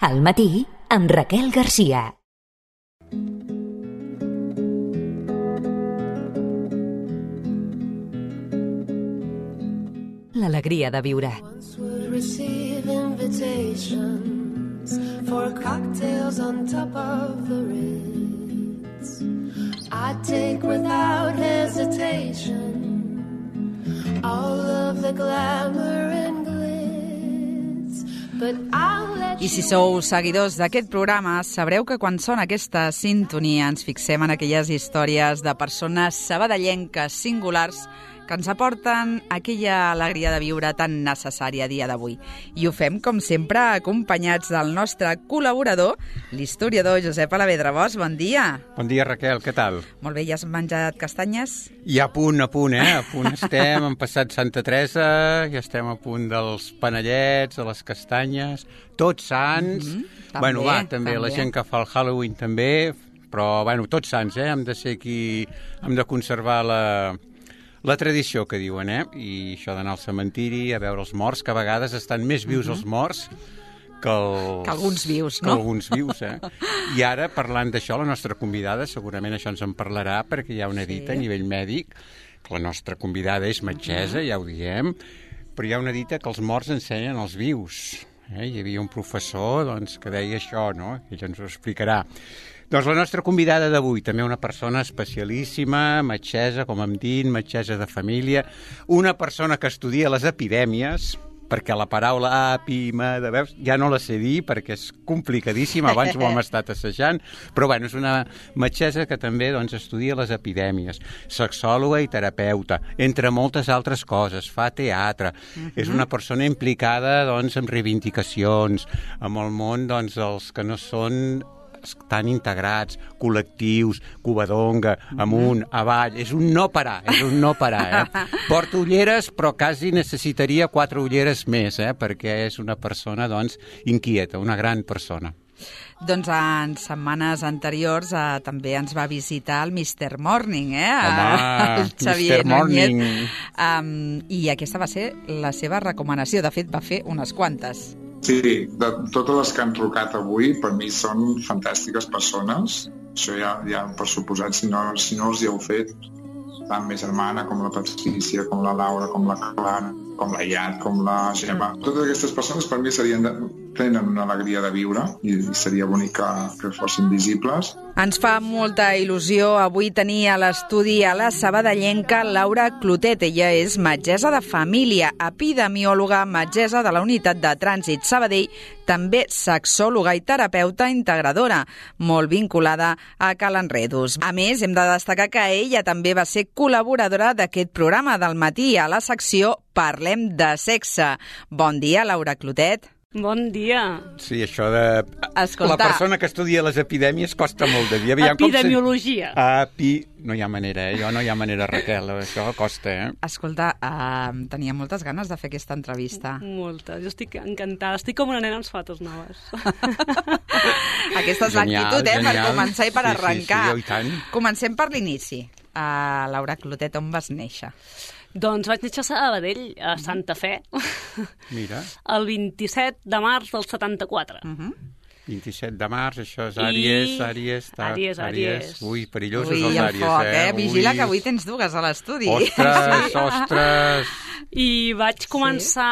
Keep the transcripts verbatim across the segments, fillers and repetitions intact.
Al matí, amb Raquel Garcia. L'alegria de viure. For cocktails on top of the Ritz, I take without hesitation all of the glamour and glitz, but I'll let you... I si sou seguidors d'aquest programa, sabreu que quan sona aquesta sintonia ens fixem en aquelles històries de persones sabadellenques singulars que ens aporten aquella alegria de viure tan necessària a dia d'avui. I ho fem, com sempre, acompanyats del nostre col·laborador, l'historiador Josep Alavedra Bosch. Bon dia. Bon dia, Raquel, què tal? Molt bé, ja has menjat castanyes? Ja a punt, a punt, eh? A punt estem, hem passat Santa Teresa, ja estem a punt dels panellets, de les castanyes, tots sants. Mm-hmm. També, bueno, va, també, també, la gent que fa el Halloween també, però, bueno, tots sants, eh? Hem de ser aquí, hem de conservar la... La tradició que diuen, eh? I això d'anar al cementiri a veure els morts, que a vegades estan més vius uh-huh. els morts que, els... que alguns vius, que no? alguns vius, eh? I ara, parlant d'això, la nostra convidada, segurament això ens en parlarà, perquè hi ha una dita sí. a nivell mèdic, que la nostra convidada és metgessa, uh-huh. ja ho diem, però hi ha una dita que els morts ensenyen als vius. Eh? Hi havia un professor doncs, que deia això, no? Ell ens ho explicarà. Doncs la nostra convidada d'avui, també una persona especialíssima, metgessa, com hem dit, metgessa de família, una persona que estudia les epidèmies, perquè la paraula apima, de veus, ja no la sé dir perquè és complicadíssima, abans ho hem estat assajant, però bueno, és una metgessa que també doncs, estudia les epidèmies, sexòloga i terapeuta, entre moltes altres coses, fa teatre, uh-huh. és una persona implicada doncs, en reivindicacions, amb el món doncs, dels que no són tan integrats, col·lectius, Covadonga, amunt, avall, és un no parar, és un no parar, eh? Porta ulleres, però quasi necessitaria quatre ulleres més, eh? Perquè és una persona, doncs, inquieta, una gran persona. Doncs en setmanes anteriors eh, també ens va visitar el mister Morning, eh? Home, el Xavier Morning. Um, I aquesta va ser la seva recomanació, de fet va fer unes quantes. Sí, de totes les que han trucat avui, per mi són fantàstiques persones. Això ja, ja per suposat, si no, si no els hi heu fet, tant ma germana com la Patricia, com la Laura, com la Clara, com la Iat, com la Gemma. Totes aquestes persones per mi serien de, tenen una alegria de viure i seria bonic que, que fossin visibles. Ens fa molta il·lusió avui tenir a l'estudi a la sabadellenca Laura Clotet. Ella és metgessa de família, epidemiòloga, metgessa de la Unitat de Trànsit Sabadell, també sexòloga i terapeuta integradora, molt vinculada a Cal Enredos. A més, hem de destacar que ella també va ser col·laboradora d'aquest programa del matí a la secció Parlem de sexe. Bon dia, Laura Clotet. Bon dia. Sí, això de... Escolta. La persona que estudia les epidèmies costa molt de dir. Aviam, Epidemiologia. Se... Epi... No hi ha manera, eh? Jo no hi ha manera, Raquel. Això costa, eh? Escolta, uh, tenia moltes ganes de fer aquesta entrevista. Moltes. Jo estic encantada. Estic com una nena amb sabates noves. Aquesta és l'actitud, eh? Genial. Per començar i per sí, arrencar. Sí, sí, i tant. Comencem per l'inici. Uh, Laura Clotet, on vas néixer? Doncs vaig néixer a Sabadell, a Santa Fe. Mira. El vint-i-set de març del setanta-quatre. Uh-huh. vint-i-set de març, això és Àries, I... Àries, ta... Àries, Àries. Ui, perillosos Ui, els el Àries, foc, eh? eh? Vigila Ui. que avui tens dues a l'estudi. Ostres, sí. ostres... I vaig començar...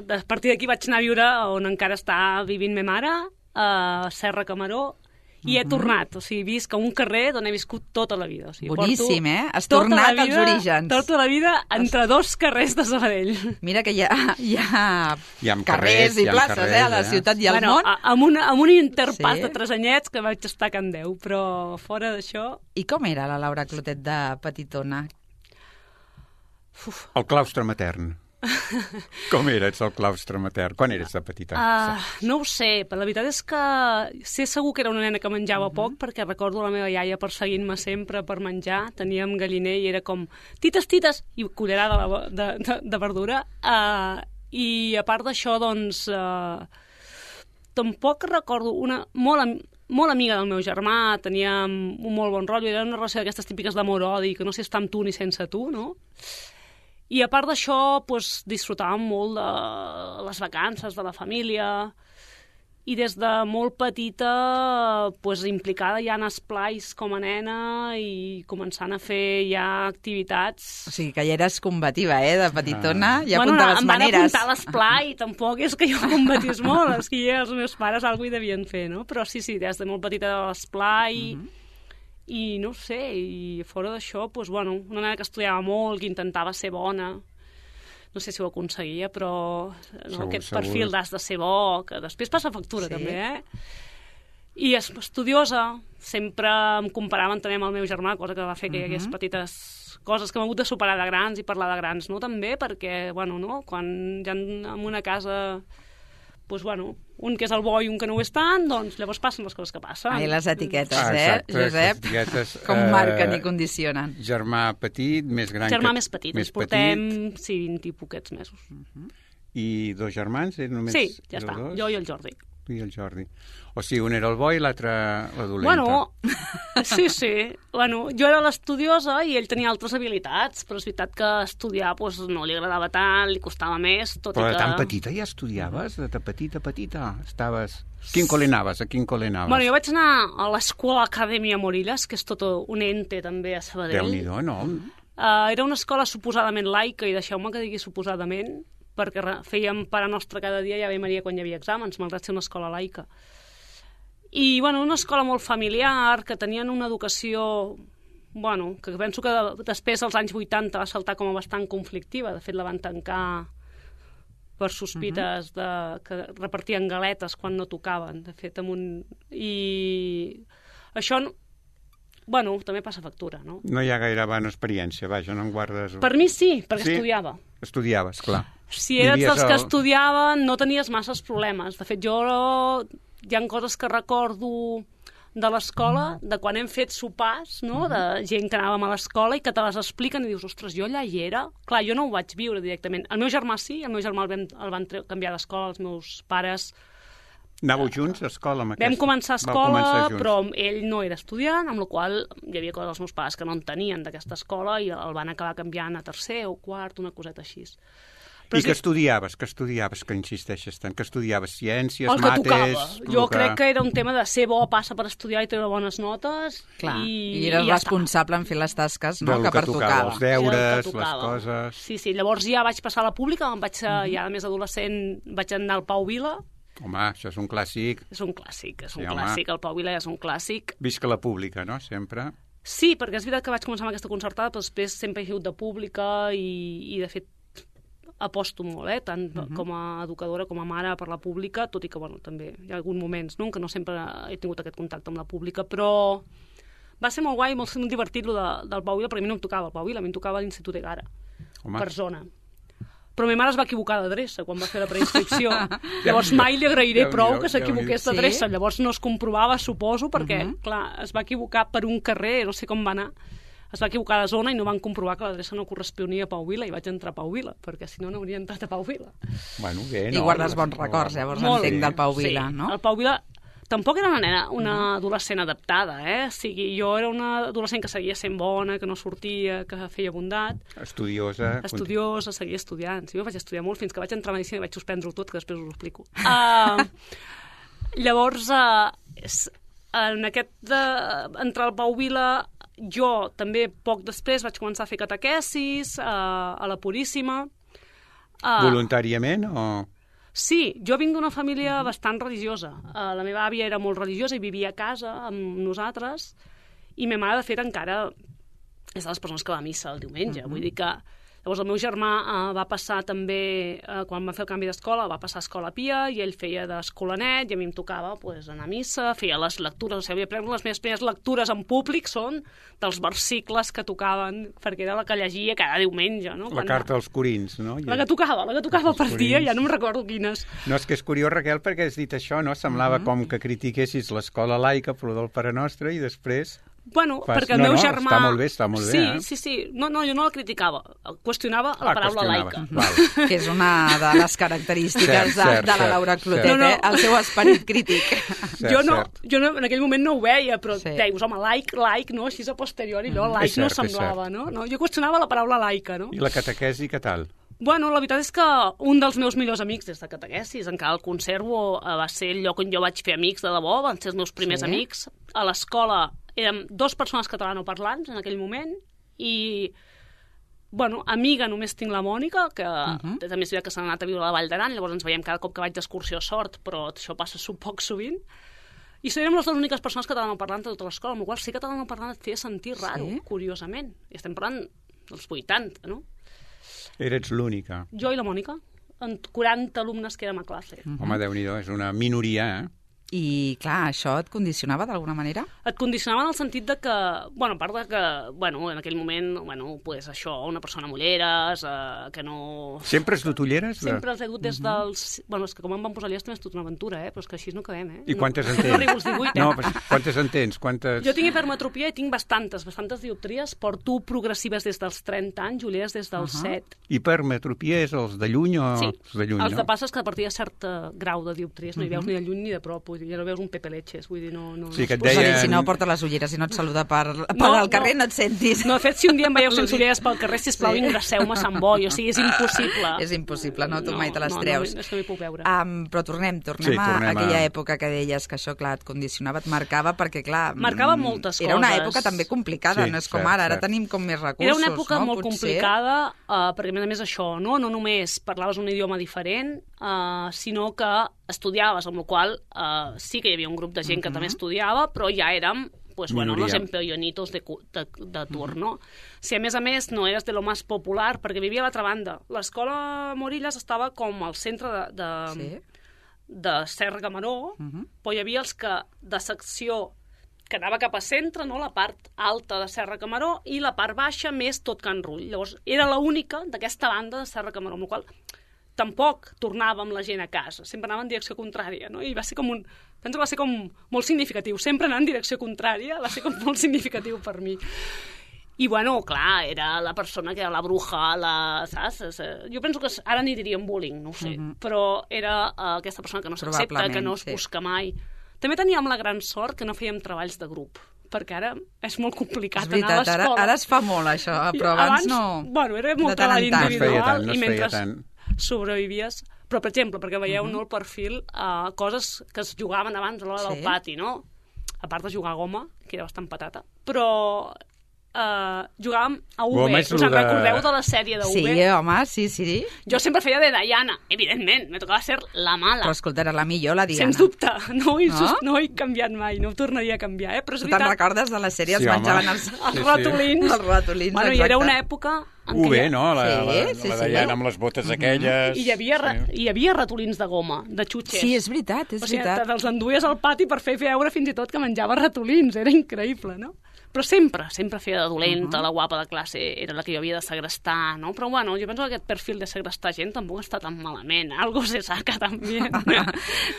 Sí. A partir d'aquí vaig anar a viure on encara està vivint ma mare, a Serra Camaró, i he tornat, o sigui, visc a un carrer on he viscut tota la vida. O sigui, boníssim, eh? Has tornat als orígens. Tota la vida entre dos carrers de Sabadell. Mira que hi ha, hi ha, hi ha carrers, carrers i hi ha places, carrers, eh? A la ciutat i al bueno, món. A, amb, una, amb un interpàs Sí. de tres anyets que vaig estar a Can Déu, però fora d'això... I com era la Laura Clotet de petitona? Uf. El claustre matern. Com eres el claustre matern? Quan eres de petita? Uh, no ho sé, però la veritat és que sé segur que era una nena que menjava uh-huh. poc, perquè recordo la meva iaia perseguint-me sempre per menjar. Teníem galliner i era com tites, tites, i cullerada de, de, de, de verdura. Uh, I a part d'això, doncs, uh, tampoc recordo una... Molt, molt amiga del meu germà, teníem un molt bon rotllo, era una relació d'aquestes típiques d'amor-odi, que no sé estar amb tu ni sense tu, no? I a part d'això, doncs, disfrutàvem molt de les vacances, de la família, i des de molt petita pues, implicada ja en esplais com a nena i començant a fer ja activitats. O sigui, que ja eres combativa, eh, de petitona, ja bueno, apuntaves em van maneres. apuntar a l'esplai, tampoc és que jo combatís molt, és que ja els meus pares alguna hi devien fer, no? Però sí, sí, des de molt petita a l'esplai, uh -huh. i no sé, i fora d'això, pues, bueno, una nena que estudiava molt, que intentava ser bona, no sé si ho aconseguia, però no, segur, aquest segur. perfil d'has de ser bo, que després passa factura, Sí. també, eh? I és estudiosa, sempre em comparaven també amb el meu germà, cosa que va fer que hi hagués petites coses que hem hagut de superar de grans i parlar de grans, no? També perquè, bueno, no? Quan ja en una casa, doncs, bueno, un que és el bo i un que no ho és tant, doncs llavors passen les coses que passen. Ai, les etiquetes, Ah, eh, exacte, Josep? les etiquetes, Com eh, marquen i condicionen. Germà petit, més gran Germà que... més petit, més ens portem, sí, vint i poquets mesos. I dos germans? Eren només Sí, ja éreu està, dos? jo i el Jordi. Tu i el Jordi. O sigui, un era el bo i l'altre la dolenta. Bueno, sí, sí. Bueno, jo era l'estudiosa i ell tenia altres habilitats, però és veritat que estudiar pues, no li agradava tant, li costava més, tot Però i de que... tan petita ja estudiaves? De tan petita, petita? Estaves... Quin col·le anaves? A quin col·le anaves? Bueno, jo vaig anar a l'escola Acadèmia Morillas, que és tot un ente també a Sabadell. Déu-n'hi-do, no? Uh, era una escola suposadament laica, i deixeu-me que digui suposadament, perquè re- fèiem Pare Nostre cada dia i Ave Maria quan hi havia exàmens, malgrat ser una escola laica. I, bueno, una escola molt familiar, que tenien una educació, bueno, que penso que després, als anys vuitanta, va saltar com a bastant conflictiva. De fet, la van tancar per sospites de que repartien galetes quan no tocaven, de fet, amb un... I això, bueno, també passa factura, no? No hi ha gaire bona experiència, vaja, no en guardes... Per mi sí, perquè Sí? estudiava. Estudiaves, clar. Si eres Vivies dels que al- estudiaven, no tenies masses problemes. De fet, jo hi ha coses que recordo de l'escola, de quan hem fet sopars, no? De gent que anàvem a l'escola i que te les expliquen i dius, ostres, jo allà hi era? Clar, jo no ho vaig viure directament. El meu germà sí, el meu germà el vam, el van tre- canviar d'escola, els meus pares... Anàveu junts a escola amb Vam aquesta? començar a Vau escola, començar junts. però ell no era estudiant, amb la qual hi havia coses dels meus pares que no en tenien d'aquesta escola i el van acabar canviant a tercer o quart, una coseta així. I que estudiaves, que estudiaves, que insisteixes tant, que estudiaves ciències, el que mates... tocava. Jo el crec que era un tema de ser bo, passa per estudiar i treure bones notes. Clar, i, i eres i ja responsable en fer les tasques, no?, del que que pertocava. tocava, els està. Era el deures, que les tocava. coses... Sí, sí, llavors ja vaig passar a la pública, em vaig, uh-huh. ja de més adolescent vaig anar al Pau Vila. Home, això és un clàssic. És un clàssic, és un Sí, home. clàssic, el Pau Vila és un clàssic. Visca la pública, no?, sempre. Sí, perquè és veritat que vaig començar amb aquesta concertada, però després sempre he sigut de pública i, i de fet, aposto molt, eh? Tant uh -huh. com a educadora com a mare per la pública, tot i que, bueno, també hi ha alguns moments, no?, que no sempre he tingut aquest contacte amb la pública, però va ser molt guai, molt, molt divertit, lo de, del Pau Vila, perquè a mi no em tocava el Pau Vila, a mi em tocava l'Institut Egara, Home. per zona. Però ma mare es va equivocar d'adreça quan va fer la preinscripció. Llavors mai li agrairé Déu-n'hi-do, prou que Déu-n'hi-do. s'equivoqués Sí? d'adreça. Llavors no es comprovava, suposo, perquè, Mhm. clar, es va equivocar per un carrer, no sé com va anar, es va equivocar de zona i no van comprovar que l'adreça no corresponia a Pau Vila i vaig entrar a Pau Vila, perquè si no no hauria entrat a Pau Vila. Bueno, bé, I no? guardes bons records, llavors, Molt. entenc, del Pau Vila, sí. no? El Pau Vila tampoc era una nena, una adolescent adaptada, eh? O sigui, jo era una adolescent que seguia sent bona, que no sortia, que feia bondat, Estudiosa. estudiosa, seguia estudiant. Sí, jo vaig estudiar molt fins que vaig entrar a Medicina i vaig suspendre-ho tot, que després us ho explico. Uh, llavors, uh, en aquest de, entrar al Pau Vila, jo també poc després vaig començar a fer catequesis uh, a la Puríssima. Uh, Voluntàriament o...? Sí, jo vinc d'una família bastant religiosa. Uh, la meva àvia era molt religiosa i vivia a casa amb nosaltres, i ma mare, de fet, encara és de les persones que va a missa el diumenge. Uh-huh. Vull dir que... Llavors el meu germà uh, va passar també, uh, quan va fer el canvi d'escola, va passar a Escola Pia, i ell feia d'escolanet, i a mi em tocava pues, anar a missa, feia les lectures, o sigui, havia pres les meves primeres lectures en públic són dels versicles que tocaven, perquè era la que llegia cada diumenge, no? La Quan... carta als Corins, no? La que tocava, la que tocava per dia, ja no em recordo quines. No, és que és curiós, Raquel, perquè has dit això, no? Semblava uh-huh. com que critiquessis l'escola laica, però del Pare Nostre, i després... Bueno, Fas... perquè el no, meu no, germà... està molt bé, està molt bé, sí, eh? Sí, sí, no, no, jo no la criticava, qüestionava la Ah, paraula qüestionava. laica. Val. Que és una de les característiques Cert, de, cert, de la cert, Laura cert. Clotet, No, no. eh? El seu esperit crític. Cert, jo, no, cert. jo no, en aquell moment no ho veia, però Sí. sí. deius, home, laic, laic, no? Així a posteriori, allò, laic És cert, no és semblava, cert. no? no? Jo qüestionava la paraula laica, no? I la catequesi, què tal? Bueno, la veritat és que un dels meus millors amics des de catequesis, encara el conservo, va ser el lloc on jo vaig fer amics de debò, van ser els meus primers sí. amics. A l'escola érem dues persones catalanoparlants en aquell moment i, bueno, amiga només tinc la Mònica, que uh -huh. també és veritat que s'ha anat a viure a la Vall d'Aran, llavors ens veiem cada cop que vaig d'excursió a Sort, però això passa poc sovint. I érem les dues úniques persones catalanoparlants de tota l'escola, amb la qual cosa ser catalanoparlant et feia sentir raro, sí? Curiosament. I estem parlant dels vuitanta, no? Eres l'única. Jo i la Mònica, en quaranta alumnes que érem a classe. Uh -huh. Home, Déu-n'hi-do, és una minoria, eh? I, clar, això et condicionava d'alguna manera? Et condicionava en el sentit de que, bueno, a part de que, bueno, en aquell moment, bueno, pues això, una persona amb ulleres, eh, que no... Sempre has dut ulleres? Sempre els he dut des dels... Bueno, és que com em van posar allà és tota una aventura, eh? Però és que així no acabem, eh? I quantes en tens? No arribo als divuit, eh? No, però quantes en tens? Quantes... Jo tinc hipermetropia i tinc bastantes, bastantes dioptries. Porto progressives des dels trenta anys, ulleres des dels uh -huh. set. Hipermetropia és els de lluny o sí. els de lluny, els no? de passes que a partir de cert grau de dioptries no hi veus uh -huh. ni de lluny ni de prop, vull dir, ja no veus un Pepe Leches, vull dir, no... no sí, que et deien... deien... Si no porta les ulleres i no et saluda per, per no, al carrer, no. no et sentis. No, de fet, si un dia em veieu sense ulleres pel carrer, sisplau, sí. ingresseu-me a Sant Boi, o sigui, és impossible. És impossible, no? Tu no, mai te les no, treus. No, és que no hi puc veure. Um, però tornem, tornem, sí, a, tornem a aquella a... època que deies que això, clar, et condicionava, et marcava, perquè, clar... Marcava moltes era coses. Era una època també complicada, sí, no és com cert, ara, ara cert. tenim com més recursos, Era una època no? molt Potser... complicada, uh, perquè a més a més això, no, no només parlaves un idioma diferent, uh, sinó que estudiaves, amb la qual uh, sí que hi havia un grup de gent uh -huh. que també estudiava, però ja érem pues bueno, los empellonitos de, de, de turno. Uh -huh. Si a més a més no eres de lo más popular, perquè vivia a l'altra banda. L'escola Morillas estava com al centre de, de, sí. de Serra Camaró, uh -huh. però hi havia els que de secció que anava cap a centre, no? La part alta de Serra Camaró i la part baixa més tot Can Rull. Llavors era l'única d'aquesta banda de Serra Camaró, amb la qual tampoc tornàvem la gent a casa, sempre anava en direcció contrària, no? I va ser com un... Penso que va ser com molt significatiu. Sempre anar en direcció contrària va ser com molt significatiu per mi. I, bueno, clar, era la persona que era la bruja, la... saps? Jo penso que ara n'hi diríem bullying, no ho sé, uh-huh. però era uh, aquesta persona que no s'accepta, que no es busca sí. mai. També teníem la gran sort que no fèiem treballs de grup, perquè ara és molt complicat és veritat, anar a l'escola. Ara, ara es fa molt, això, però abans, abans no... Bueno, era molt treball individual no i mentre tant. sobrevivies... Però, per exemple, perquè veieu uh -huh. no, el perfil, uh, coses que es jugaven abans a l'hora sí. del pati, no? A part de jugar a goma, que era bastant patata, però uh, jugàvem a U B. Us en de... recordeu de la sèrie de U B? Sí, home, sí, sí. Jo sempre feia de Diana, evidentment, me tocava ser la mala. Però escolta, era la millor, la Diana. Sens dubte, no ho he, no? no ho he canviat mai, no ho tornaria a canviar, eh? Però és tu veritat... te'n recordes de la sèrie? Sí, es menjaven home. els, els sí, ratolins. Sí. Els ratolins, bueno, exacte. I era una època... U B, no? La, sí, la, sí, la sí. Diana amb les botes aquelles... I hi havia, sí. hi havia ratolins de goma, de xutxes. Sí, és veritat, és o sigui, veritat. te'ls enduies al pati per fer veure fins i tot que menjava ratolins, era increïble, no? Però sempre, sempre feia de dolenta, uh -huh. la guapa de classe era la que jo havia de segrestar, no? Però bueno, jo penso que aquest perfil de segrestar gent tampoc està tan malament, algo se saca també.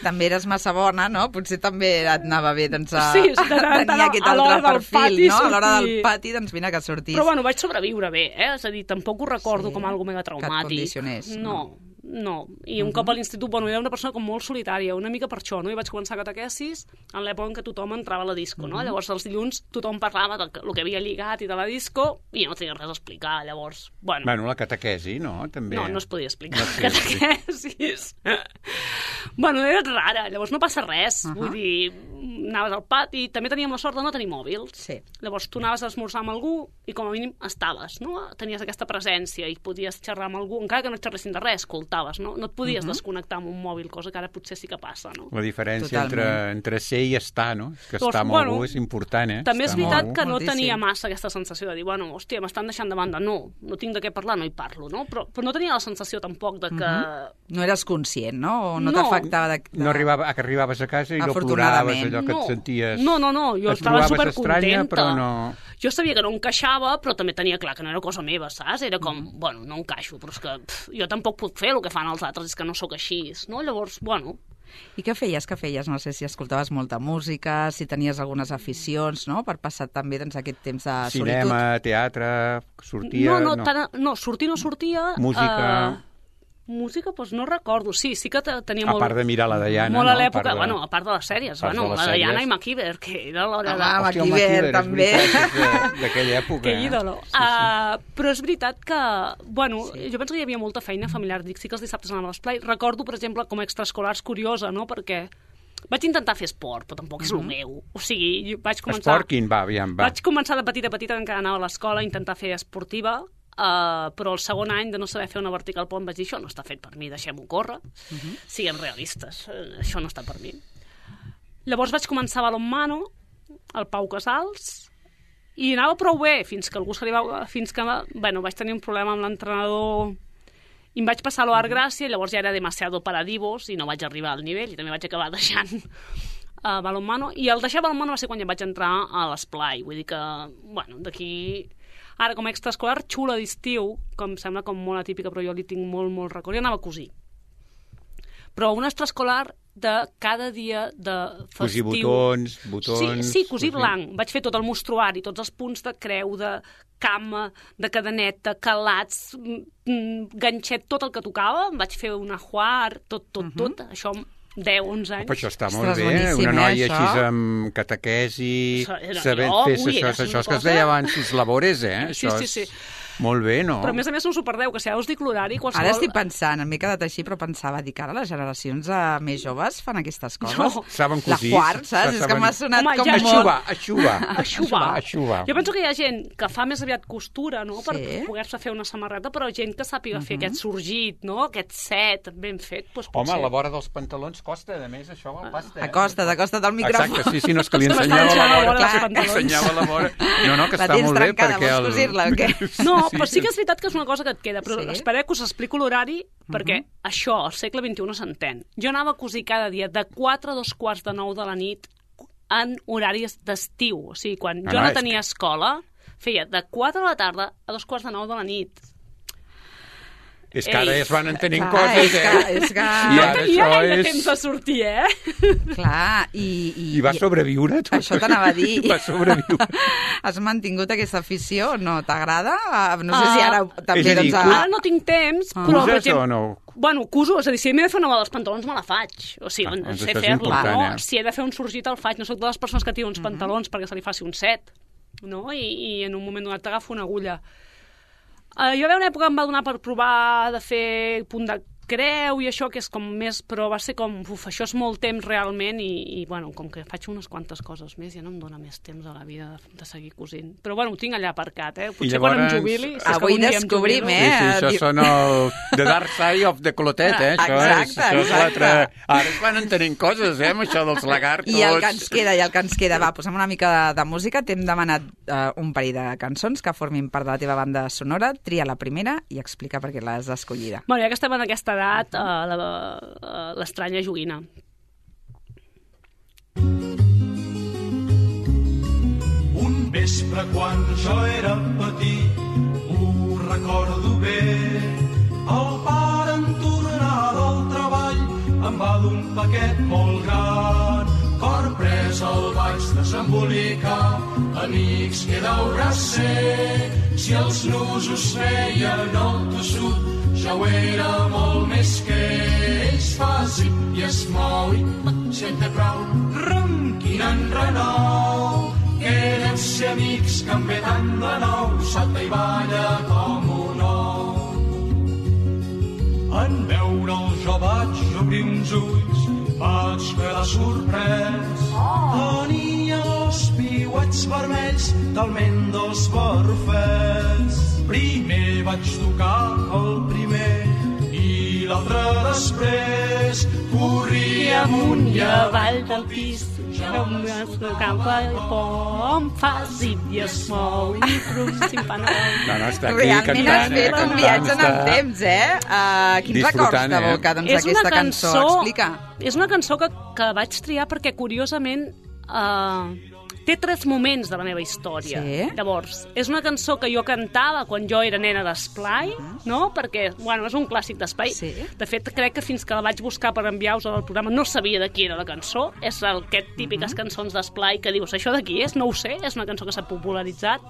També eres massa bona, no? Potser també et anava bé, doncs, a, sí, sí, a tenir aquest altre perfil, no? A l'hora del pati, doncs vine que sortís. Però bueno, vaig sobreviure bé, eh? És a dir, tampoc ho recordo sí, com algo mega traumàtic. Que et condicionés. No, no. I un uh -huh. cop a l'institut, bueno, era una persona com molt solitària, una mica per això, no? I vaig començar catequesis en l'època en què tothom entrava a la disco, no? Uh -huh. Llavors, els dilluns tothom parlava del que, del que havia lligat i de la disco i jo no tenia res a explicar, llavors, bueno... Bueno, la catequesi, no? També... No, no es podia explicar no, sí, catequesis. Sí. Bueno, era rara, llavors no passa res, uh -huh. vull dir, anaves al pati, també teníem la sort de no tenir mòbils. Sí. Llavors tu anaves a esmorzar amb algú i com a mínim estaves, no? Tenies aquesta presència i podies xerrar amb algú, encara que no et xerressin de res, escoltaves, no? No et podies uh -huh. desconnectar amb un mòbil, cosa que ara potser sí que passa, no? La diferència entre, entre ser i estar, no? Que doncs, estar amb bueno, algú és important, eh? També estar és veritat que no Moltíssim. tenia massa aquesta sensació de dir, bueno, hòstia, m'estan deixant de banda. No, no tinc de què parlar, no hi parlo, no? Però, però no tenia la sensació tampoc de que... Uh -huh. No eres conscient, no? O no, no. t'afectava de, de... No arribava, que arribaves a casa i no ploraves allò que no. et senties... No, no, no, jo et estava supercontenta. estranya, però no... Jo sabia que no encaixava, però també tenia clar que no era cosa meva, saps? Era com, mm. bueno, no encaixo, però és que pff, jo tampoc puc fer el que fan els altres, és que no sóc així, no? Llavors, bueno... I què feies, què feies? No sé si escoltaves molta música, si tenies algunes aficions, no?, per passar també doncs, aquest temps de solitud. Cinema, teatre, sortia... No, no, no. Tant, no sortir no sortia... Música... Uh, Música, doncs no recordo. Sí, sí que tenia molt... A part de mirar la Diana, molt a no? l'època, de... bueno, a part de les sèries, bueno, de les la sèries. Diana i MacIver, que era l'hora de... Ah, Hòstia, el MacIver, també. D'aquella època. Que eh? ídolo. Sí, sí. Uh, però és veritat que, bueno, sí. jo penso que hi havia molta feina familiar. Dic, sí que els dissabtes anava a l'esplai. Recordo, per exemple, com a extraescolars curiosa, no?, perquè vaig intentar fer esport, però tampoc és el meu. O sigui, vaig començar... Esport quin? Va, aviam, va. Vaig començar de petita a petita, encara anava a l'escola, a intentar fer esportiva, Uh, però el segon any de no saber fer una vertical pont vaig dir, això no està fet per mi, deixem-ho córrer, uh -huh. siguem realistes, uh, això no està per mi. Llavors vaig començar a balonmano, al Pau Casals, i anava prou bé, fins que algú se li va... fins que, bueno, vaig tenir un problema amb l'entrenador i em vaig passar a l'Art Gràcia, i llavors ja era demasiado para divos i no vaig arribar al nivell, i també vaig acabar deixant uh, balonmano, i el deixar balonmano va ser quan ja vaig entrar a l'esplai, vull dir que, bueno, d'aquí... Ara, com a extraescolar, xula d'estiu, com sembla com molt atípica, però jo li tinc molt, molt record, i anava a cosir. Però un extraescolar de cada dia de festiu... Cosir botons, botons... Sí, sí, cosir blanc. Vaig fer tot el mostruari, tots els punts de creu, de cama, de cadeneta, calats, ganxet, tot el que tocava. Em vaig fer un ajuar, tot, tot, uh-huh. tot. Això... deu, onze anys. Però això està molt bé, una noia així amb catequesi, sabent fer això, això que es deia abans, sus labores, eh? Sí, sí, sí. Molt bé, no? Però a més a més són superdeu, que si ara us dic l'horari... Qualsevol... Ara estic pensant, m'he quedat així, però pensava, dic, ara les generacions uh, més joves fan aquestes coses. No. Saben cosir. La quart, saps? És que m'ha sonat Home, com ja... molt... Aixuvar, aixuvar. Aixuvar. Aixuvar. Jo penso que hi ha gent que fa més aviat costura, no?, per sí. poder-se fer una samarreta, però gent que sàpiga uh-huh. fer aquest sorgit, no?, aquest set ben fet, doncs potser... Home, a la vora dels pantalons costa, a més, això val pasta. Eh? Acosta't, acosta't al micròfon. Exacte, sí, sí, no, és que li ensenyava la vora. Clar, ensenyava la vora. No, no, que està molt bé, perquè... La tens trencada, vols cosir-la o què? No, però sí que és veritat que és una cosa que et queda, però sí? Espereu que us explico l'horari, perquè uh-huh. això, al segle vint-i-u, no s'entén. Jo anava a cosir cada dia de quatre a dos quarts de nou de la nit en horaris d'estiu. O sigui, quan no, jo no, no tenia que... escola, feia de quatre de la tarda a dos quarts de nou de la nit. És que ara Ei, es van entenent clar, coses, és eh? que, és que... I ara I ara això de és... temps de sortir, eh? Clar, i... I, I va sobreviure, tu? Això t'anava a dir. Va sobreviure. Has mantingut aquesta afició? No t'agrada? No sé si ara també... És a dir, doncs, cus- Ara no tinc temps, Ah. però... per Cuses exemple, o no? Bueno, cuso, és a dir, si m'he de fer una bola dels pantalons me la faig. O sigui, Ah, doncs sé això és fer-la, important, no? eh? Si he de fer un sorgit el faig. No soc de les persones que tira uns pantalons perquè se li faci un set, no? I, i en un moment donat t'agafo una agulla. Uh, jo va haver una època que em va donar per provar de fer punt de creu i això, que és com més... Però va ser com... Uf, això és molt temps realment i, i bueno, com que faig unes quantes coses més ja no em dona més temps a la vida de, de seguir cosint. Però bueno, ho tinc allà aparcat, eh? Potser llavors... quan em jubili... Si Avui descobrim, eh? Sí, sí, això Diu- són el... The Dark Side of the Clotet, eh? Això Exacte, és, això és l'altre... exacte. Ara es van entenent coses, eh? Amb això dels lagartos. I el que ens queda, i el que ens queda. Va, posem una mica de, de música. T'hem demanat uh, un parell de cançons que formin part de la teva banda sonora. Tria la primera i explica per què l'has escollida. Bueno, ja que estem en aquesta edat, uh, la, uh, l'estranya joguina. Un vespre quan jo era petit, ho recordo bé, el pare en tornar del treball em va d'un paquet molt gran. Cor pres el vaig desembolicar, amics, què deurà ser? Si els nusos feien el tossut, ja ho era molt més que ells fa zip i es mou i sente prou, ronquina en renou. Que deu ser amics que em ve tant de nou, salta i balla com un ou. En veure'l jo vaig obrir uns ulls, vaig quedar sorprès. Tenia els piuets vermells, talment dos barrufets. Primer vaig tocar el primer i l'altre després. Corria amunt i avall del pis, Jo m'escapa i pom, fa zip i es mou i prum, simpana. No, no, està aquí Realment has cantant, eh? fet un viatge en el Cantant, temps, eh? Uh, quins records Disfrutant, eh? t'evoca doncs, És una aquesta cançó? cançó- Explica. És una cançó que, que vaig triar perquè, curiosament, uh, té tres moments de la meva història. Sí? Llavors, és una cançó que jo cantava quan jo era nena d'esplai, no? Perquè, bueno, és un clàssic d'esplai. Sí. De fet, crec que fins que la vaig buscar per enviar-vos al programa no sabia de qui era la cançó. És el, aquest típiques cançons d'esplai que dius, això de qui és? No ho sé, és una cançó que s'ha popularitzat.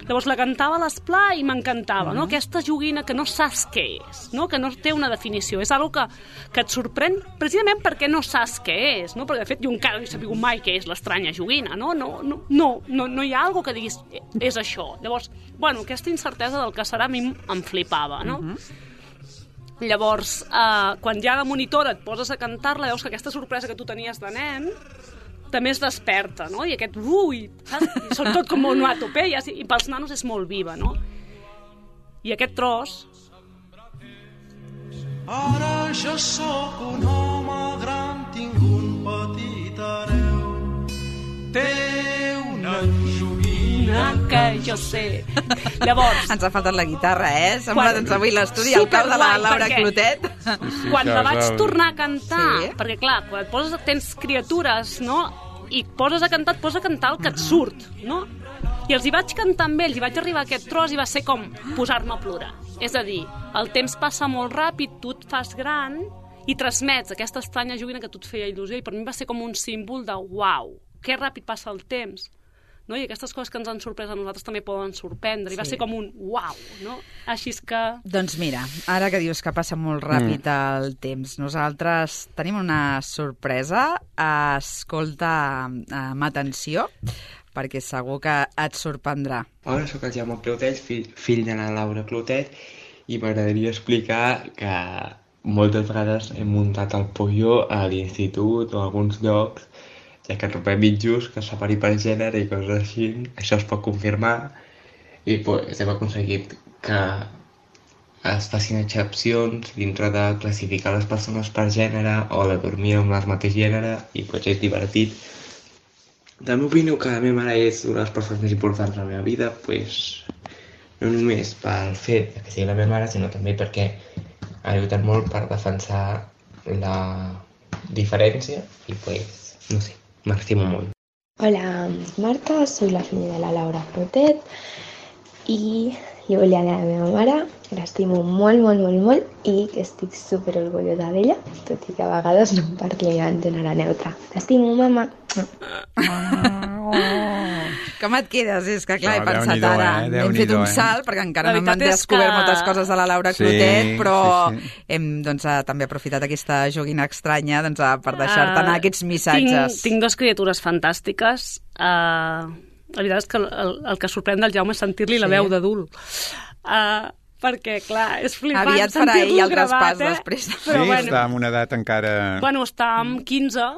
Llavors la cantava a l'esplà i m'encantava, no? Aquesta joguina que no saps què és, no? Que no té una definició. És algo que, que et sorprèn precisament perquè no saps què és, no? Perquè, de fet, jo encara no he sabut mai què és l'estranya joguina, no? No, no, no, no, no hi ha algo que diguis és això. Llavors, bueno, aquesta incertesa del que serà a mi em flipava, no? Uh-huh. Llavors, eh, quan ja de monitora et poses a cantar-la, veus que aquesta sorpresa que tu tenies de nen també es desperta, no? I aquest ui, saps? I són tot com onomatopeies, i, i pels nanos és molt viva, no? I aquest tros... Ara jo sóc un home gran, tinc un petit hereu. Té una joguina que jo sé. Llavors... Ens ha faltat la guitarra, eh? Sembla quan... doncs avui l'estudi al cap de la Laura perquè... Clotet. Sí, quan la vaig tornar a cantar, sí. Perquè clar, quan et poses, tens criatures, no? I poses a cantar, et poses a cantar el que et surt, no? I els hi vaig cantar amb ells, i vaig arribar a aquest tros i va ser com posar-me a plorar. És a dir, el temps passa molt ràpid, tu et fas gran i transmets aquesta estranya joguina que tu et feia il·lusió, i per mi va ser com un símbol de uau, que ràpid passa el temps. No? I aquestes coses que ens han sorprès a nosaltres també poden sorprendre, i va sí. ser com un uau, no? Així és que... Doncs mira, ara que dius que passa molt ràpid mm. el temps, nosaltres tenim una sorpresa. Escolta amb atenció, perquè segur que et sorprendrà. Hola, sóc el Jaume Clotet, fill, fill de la Laura Clotet, i m'agradaria explicar que moltes vegades he muntat el pollo a l'institut o a alguns llocs, ja que trobem mitjos que separi per gènere i coses així. Això es pot confirmar i pues, hem aconseguit que es facin excepcions dintre de classificar les persones per gènere o de dormir amb el mateix gènere, i pues, és divertit. També opino que la meva mare és una de les persones més importants de la meva vida, pues, no només pel fet que sigui la meva mare, sinó també perquè ha lluitat molt per defensar la diferència i pues, no sé, m'estimo molt. Hola, Marta, soy la filla de la Laura Clotet i jo volia dir a la meva mare que l'estimo molt, molt, molt, molt i que estic super orgullosa d'ella, tot i que a vegades no em parli en gènere neutre. T'estimo, mama! Com et quedes? És que clar, No, he pensat Déu-n'hi-do, ara, eh? hem Déu-n'hi-do, fet un eh? salt, perquè encara La no hem veritat és descobert que- moltes coses de la Laura Sí, Clotet, però sí, sí. hem doncs, eh, també aprofitat aquesta joguina estranya doncs, eh, per deixar-te anar aquests missatges. Tinc, tinc dues criatures fantàstiques. Uh, la veritat és que el, el que sorprèn del Jaume és sentir-li Sí. la veu d'adult. Uh, perquè, clar, és flipant Aviat farà ell sentir-lo el traspàs gravat, eh? després. Però, Sí, bueno, està en una edat encara... bueno, està amb quinze,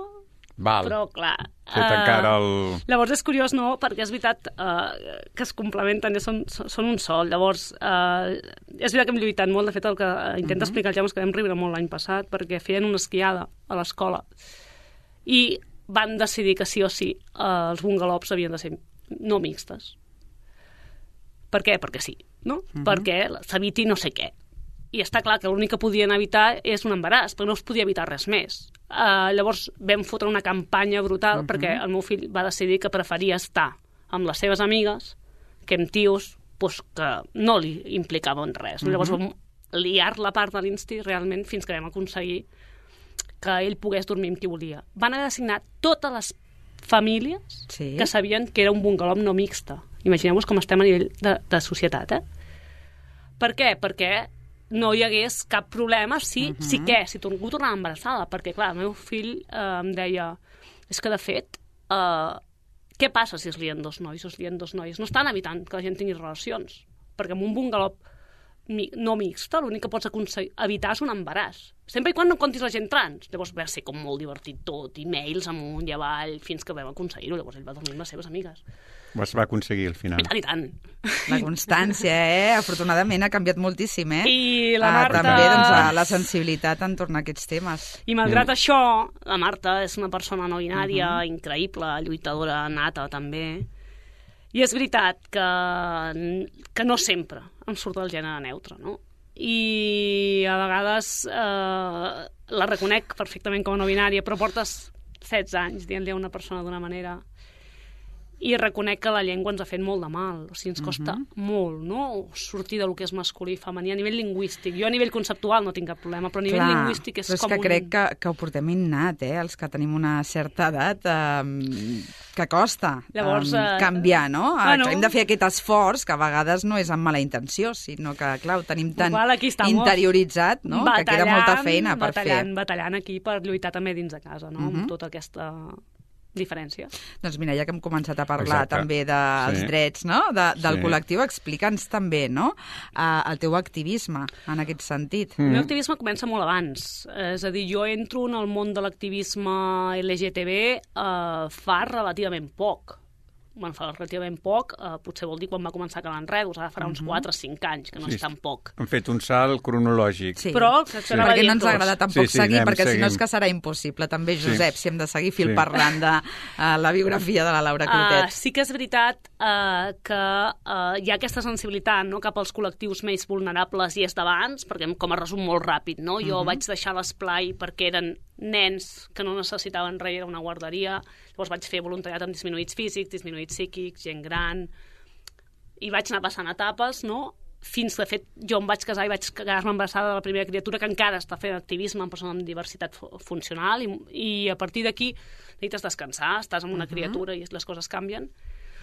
Val, però, clar... fet eh, encara el... Llavors és curiós, no?, perquè és veritat uh, que es complementen, són, són un sol. Llavors, uh, és veritat que hem lluitat molt. De fet, el que intenta uh -huh. explicar el Jaume és que vam riure molt l'any passat perquè feien una esquiada a l'escola i van decidir que sí o sí uh, els bungalows havien de ser no mixtes. Per què? Perquè sí, no? Uh -huh. Perquè s'eviti no sé què. I està clar que l'únic que podien evitar és un embaràs, però no es podia evitar res més. Uh, llavors vam fotre una campanya brutal uh -huh. perquè el meu fill va decidir que preferia estar amb les seves amigues que amb tios pues, que no li implicaven res. Uh -huh. Llavors vam liar la part de l'insti realment fins que vam aconseguir que ell pogués dormir amb qui volia. Van haver d'assignar totes les famílies Sí. que sabien que era un bungalow no mixte. Imagineu-vos com estem a nivell de, de societat, eh? Per què? Perquè no hi hagués cap problema si, uh -huh. si què? Si algú tornava embarassada. Perquè, clar, el meu fill eh, em deia és que, de fet, eh, què passa si es lien dos nois o es lien dos noies? No estan evitant que la gent tingui relacions. Perquè amb un bungalow mi, no mixta l'únic que pots aconseguir, evitar és un embaràs. Sempre i quan no comptis la gent trans. Llavors va ser com molt divertit tot, i mails amunt i avall, fins que vam aconseguir-ho. Llavors ell va dormir amb les seves amigues. Es va aconseguir al final. I tant, i tant. La constància, eh? Afortunadament ha canviat moltíssim, eh? I la Ah, Marta... també, doncs, la sensibilitat entorn a aquests temes. I malgrat mm. això, la Marta és una persona no binària, Mhm. uh -huh. increïble, lluitadora nata també. I és veritat que, que no sempre em surt el gènere neutre, no? I a vegades eh, la reconec perfectament com a no binària, però portes setze anys dient-li a una persona d'una manera... I reconec que la llengua ens ha fet molt de mal. O sigui, ens costa uh-huh. molt, no?, sortir del que és masculí i femení a nivell lingüístic. Jo a nivell conceptual no tinc cap problema, però a nivell Clar, lingüístic és però és com que un... crec que, que ho portem innat, eh? Els que tenim una certa edat... Eh, que costa Llavors, um, eh, canviar, no? bueno. Hem de fer aquest esforç, que a vegades no és amb mala intenció, sinó que, clar, ho tenim tan Igual aquí estamos, interioritzat, no? Que queda molta feina per batallant, fer. Batallant aquí per lluitar també dins de casa, no? Uh-huh. Amb tota aquesta diferència. Doncs mira, ja que hem començat a parlar Exacte. també dels Sí. drets, no?, de, del Sí. col·lectiu, explica'ns també, no?, uh, el teu activisme en aquest sentit. El meu activisme comença molt abans. És a dir, jo entro en el món de l'activisme L G T B eh, fa relativament poc. Bueno, fa relativament poc, eh, potser vol dir quan va començar Cal Enredos, ara farà uns quatre o cinc anys, que no Sí, és tan poc. Han fet un salt cronològic. Sí. Però, que això anava a Perquè dir no ens tots. agrada tampoc Sí, sí, seguir, anem, perquè si no és seguim. que serà impossible. També, Sí. Josep, si hem de seguir fil Sí. parlant de uh, la biografia de la Laura Clotet. Uh, sí que és veritat uh, que uh, hi ha aquesta sensibilitat, no?, cap als col·lectius més vulnerables i és d'abans, perquè com a resum molt ràpid, no? Jo uh-huh. vaig deixar l'esplai perquè eren nens que no necessitaven res, era una guarderia, llavors vaig fer voluntariat amb disminuïts físics, disminuïts psíquics, gent gran, i vaig anar passant etapes, no?, fins, de fet, jo em vaig casar i vaig quedar-me embarassada de la primera criatura, que encara està fent activisme en persones amb diversitat funcional, i, i a partir d'aquí necessites descansar, estàs amb una uh-huh. criatura i les coses canvien.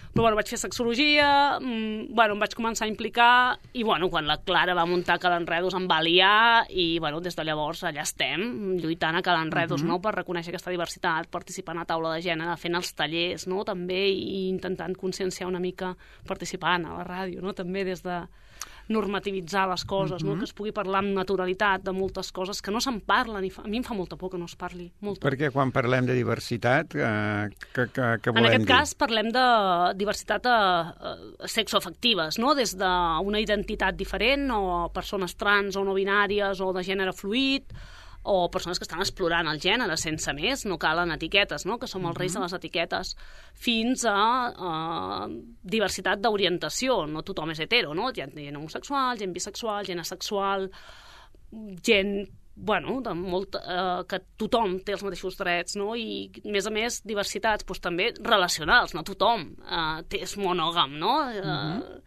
Però bueno, vaig fer sexologia, mmm, bueno, em vaig començar a implicar i bueno, quan la Clara va muntar Cal Enredos em va liar i bueno, des de llavors allà estem, lluitant a Cal Enredos, uh-huh. no?, per reconèixer aquesta diversitat, participant a taula de gènere, fent els tallers, no?, també, i intentant conscienciar una mica, participant a la ràdio, no?, també des de normativitzar les coses, uh-huh. no?, que es pugui parlar amb naturalitat de moltes coses que no se'n parlen, i fa, a mi em fa molta por que no es parli. Molta. Perquè quan parlem de diversitat, eh, que, que, que volem dir? En aquest dir? cas parlem de diversitat eh, sexoafectives, no?, des d'una identitat diferent, o persones trans o no binàries, o de gènere fluid, o persones que estan explorant el gènere sense més, no calen etiquetes, no?, que som els reis de les etiquetes, fins a uh, diversitat d'orientació. No tothom és hetero, no? Hi ha gent homosexual, gent bisexual, gent asexual, gent bueno, de molt, eh, que tothom té els mateixos drets, no? I, a més a més, diversitats doncs, també relacionals, no tothom eh, té, és monògam, no? Eh, uh-huh.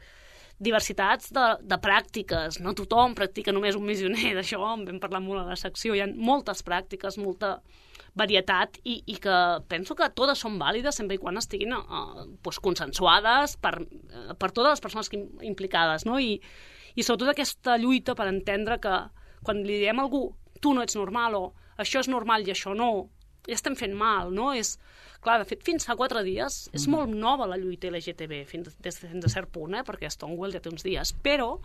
Diversitats de, de pràctiques, no tothom practica només un missioner, d'això en vam parlar molt a la secció, hi ha moltes pràctiques, molta varietat, i, i que penso que totes són vàlides sempre i quan estiguin eh, doncs, consensuades per, eh, per totes les persones que, implicades, no? I, i sobretot aquesta lluita per entendre que quan li diem a algú tu no ets normal, o això és normal i això no, ja estem fent mal, no? És, clar, de fet, fins fa quatre dies mm. és molt nova la lluita L G T B, fins, des, fins a cert punt, eh? Perquè Stonewall ja té uns dies, però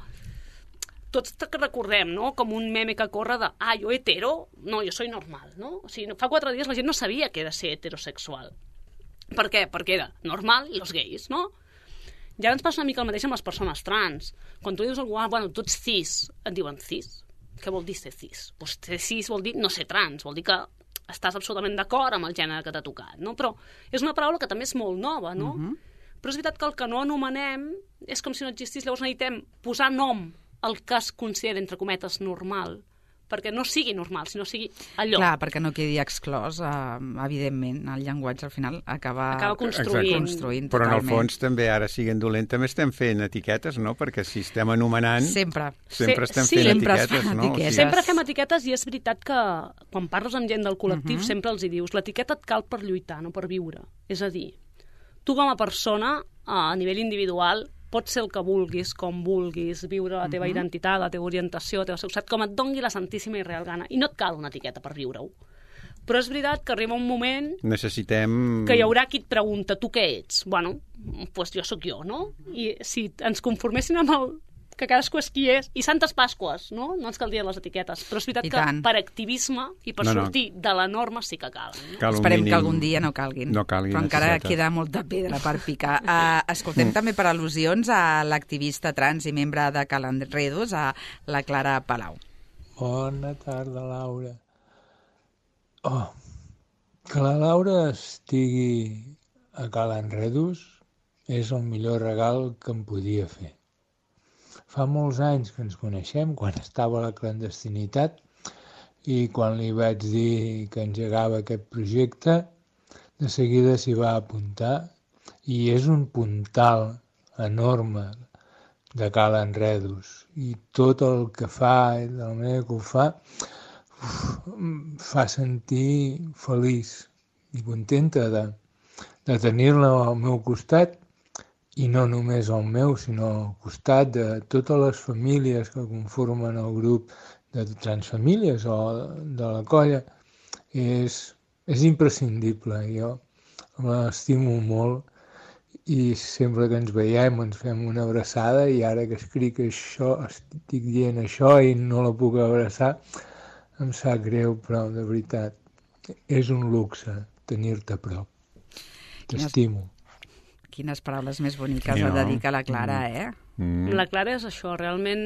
tots que recordem, no?, com un meme que corre de ah, jo hetero, no, jo soy normal, no? O sigui, fa quatre dies la gent no sabia què era ser heterosexual. Per què? Perquè era normal i els gais, no? I ara ens passa una mica el mateix amb les persones trans. Quan tu dius a algú, ah, bueno, tu ets cis, et diuen cis. Què vol dir ser cis? Pues ser cis vol dir no ser trans, vol dir que estàs absolutament d'acord amb el gènere que t'ha tocat, no? Però és una paraula que també és molt nova, no? Uh-huh. Però és veritat que el que no anomenem és com si no existís, llavors necessitem posar nom al que es considera, entre cometes, normal, perquè no sigui normal, sinó sigui allò. Clar, perquè no quedi exclòs, eh, evidentment, el llenguatge al final acaba, acaba construint. construint Però en el totalment. fons també, ara siguent dolent, també estem fent etiquetes, no? Perquè si estem anomenant... Sempre. Sempre Se- estem sí. fent Sempre es etiquetes, fan no? etiquetes. Sempre fem etiquetes i és veritat que quan parles amb gent del col·lectiu uh-huh. sempre els hi dius l'etiqueta et cal per lluitar, no per viure. És a dir, tu com a persona, a nivell individual, pots ser el que vulguis, com vulguis, viure la teva uh-huh. identitat, la teva orientació, la teva sexualitat, com et dongui la santíssima i real gana. I no et cal una etiqueta per viure-ho. Però és veritat que arriba un moment Necessitem... que hi haurà qui et pregunta tu què ets? Bueno, doncs pues jo sóc jo, no? I si ens conforméssim amb el que cadascú és qui és, i Santes Pasques, no? No ens caldrien les etiquetes, però és veritat I que tant. per activisme i per No, no. sortir de la norma sí que calen. No? Cal un Esperem mínim- que algun dia no calguin. No calguin però encara etiquetes. queda molta pedra per picar. Uh, escoltem també per al·lusions a l'activista trans i membre de Cal Enredos, a la Clara Palau. Bona tarda, Laura. Oh, que la Laura estigui a Cal Enredos és el millor regal que em podia fer. Fa molts anys que ens coneixem, quan estava a la clandestinitat, i quan li vaig dir que engegava aquest projecte, de seguida s'hi va apuntar, i és un puntal enorme de Cal Enredos. I tot el que fa, i de la manera que ho fa, uf, em fa sentir feliç i contenta de, de tenir-la al meu costat, i no només al meu, sinó al costat de totes les famílies que conformen el grup de Transfamílies o de la colla, és, és imprescindible. Jo l'estimo molt i sempre que ens veiem ens fem una abraçada, i ara que escric això, estic dient això i no la puc abraçar, em sap greu, però de veritat és un luxe tenir-te a prop. T'estimo. Quines paraules més boniques sí, no? ha dedicat la Clara, eh? Mm. La Clara és això, realment,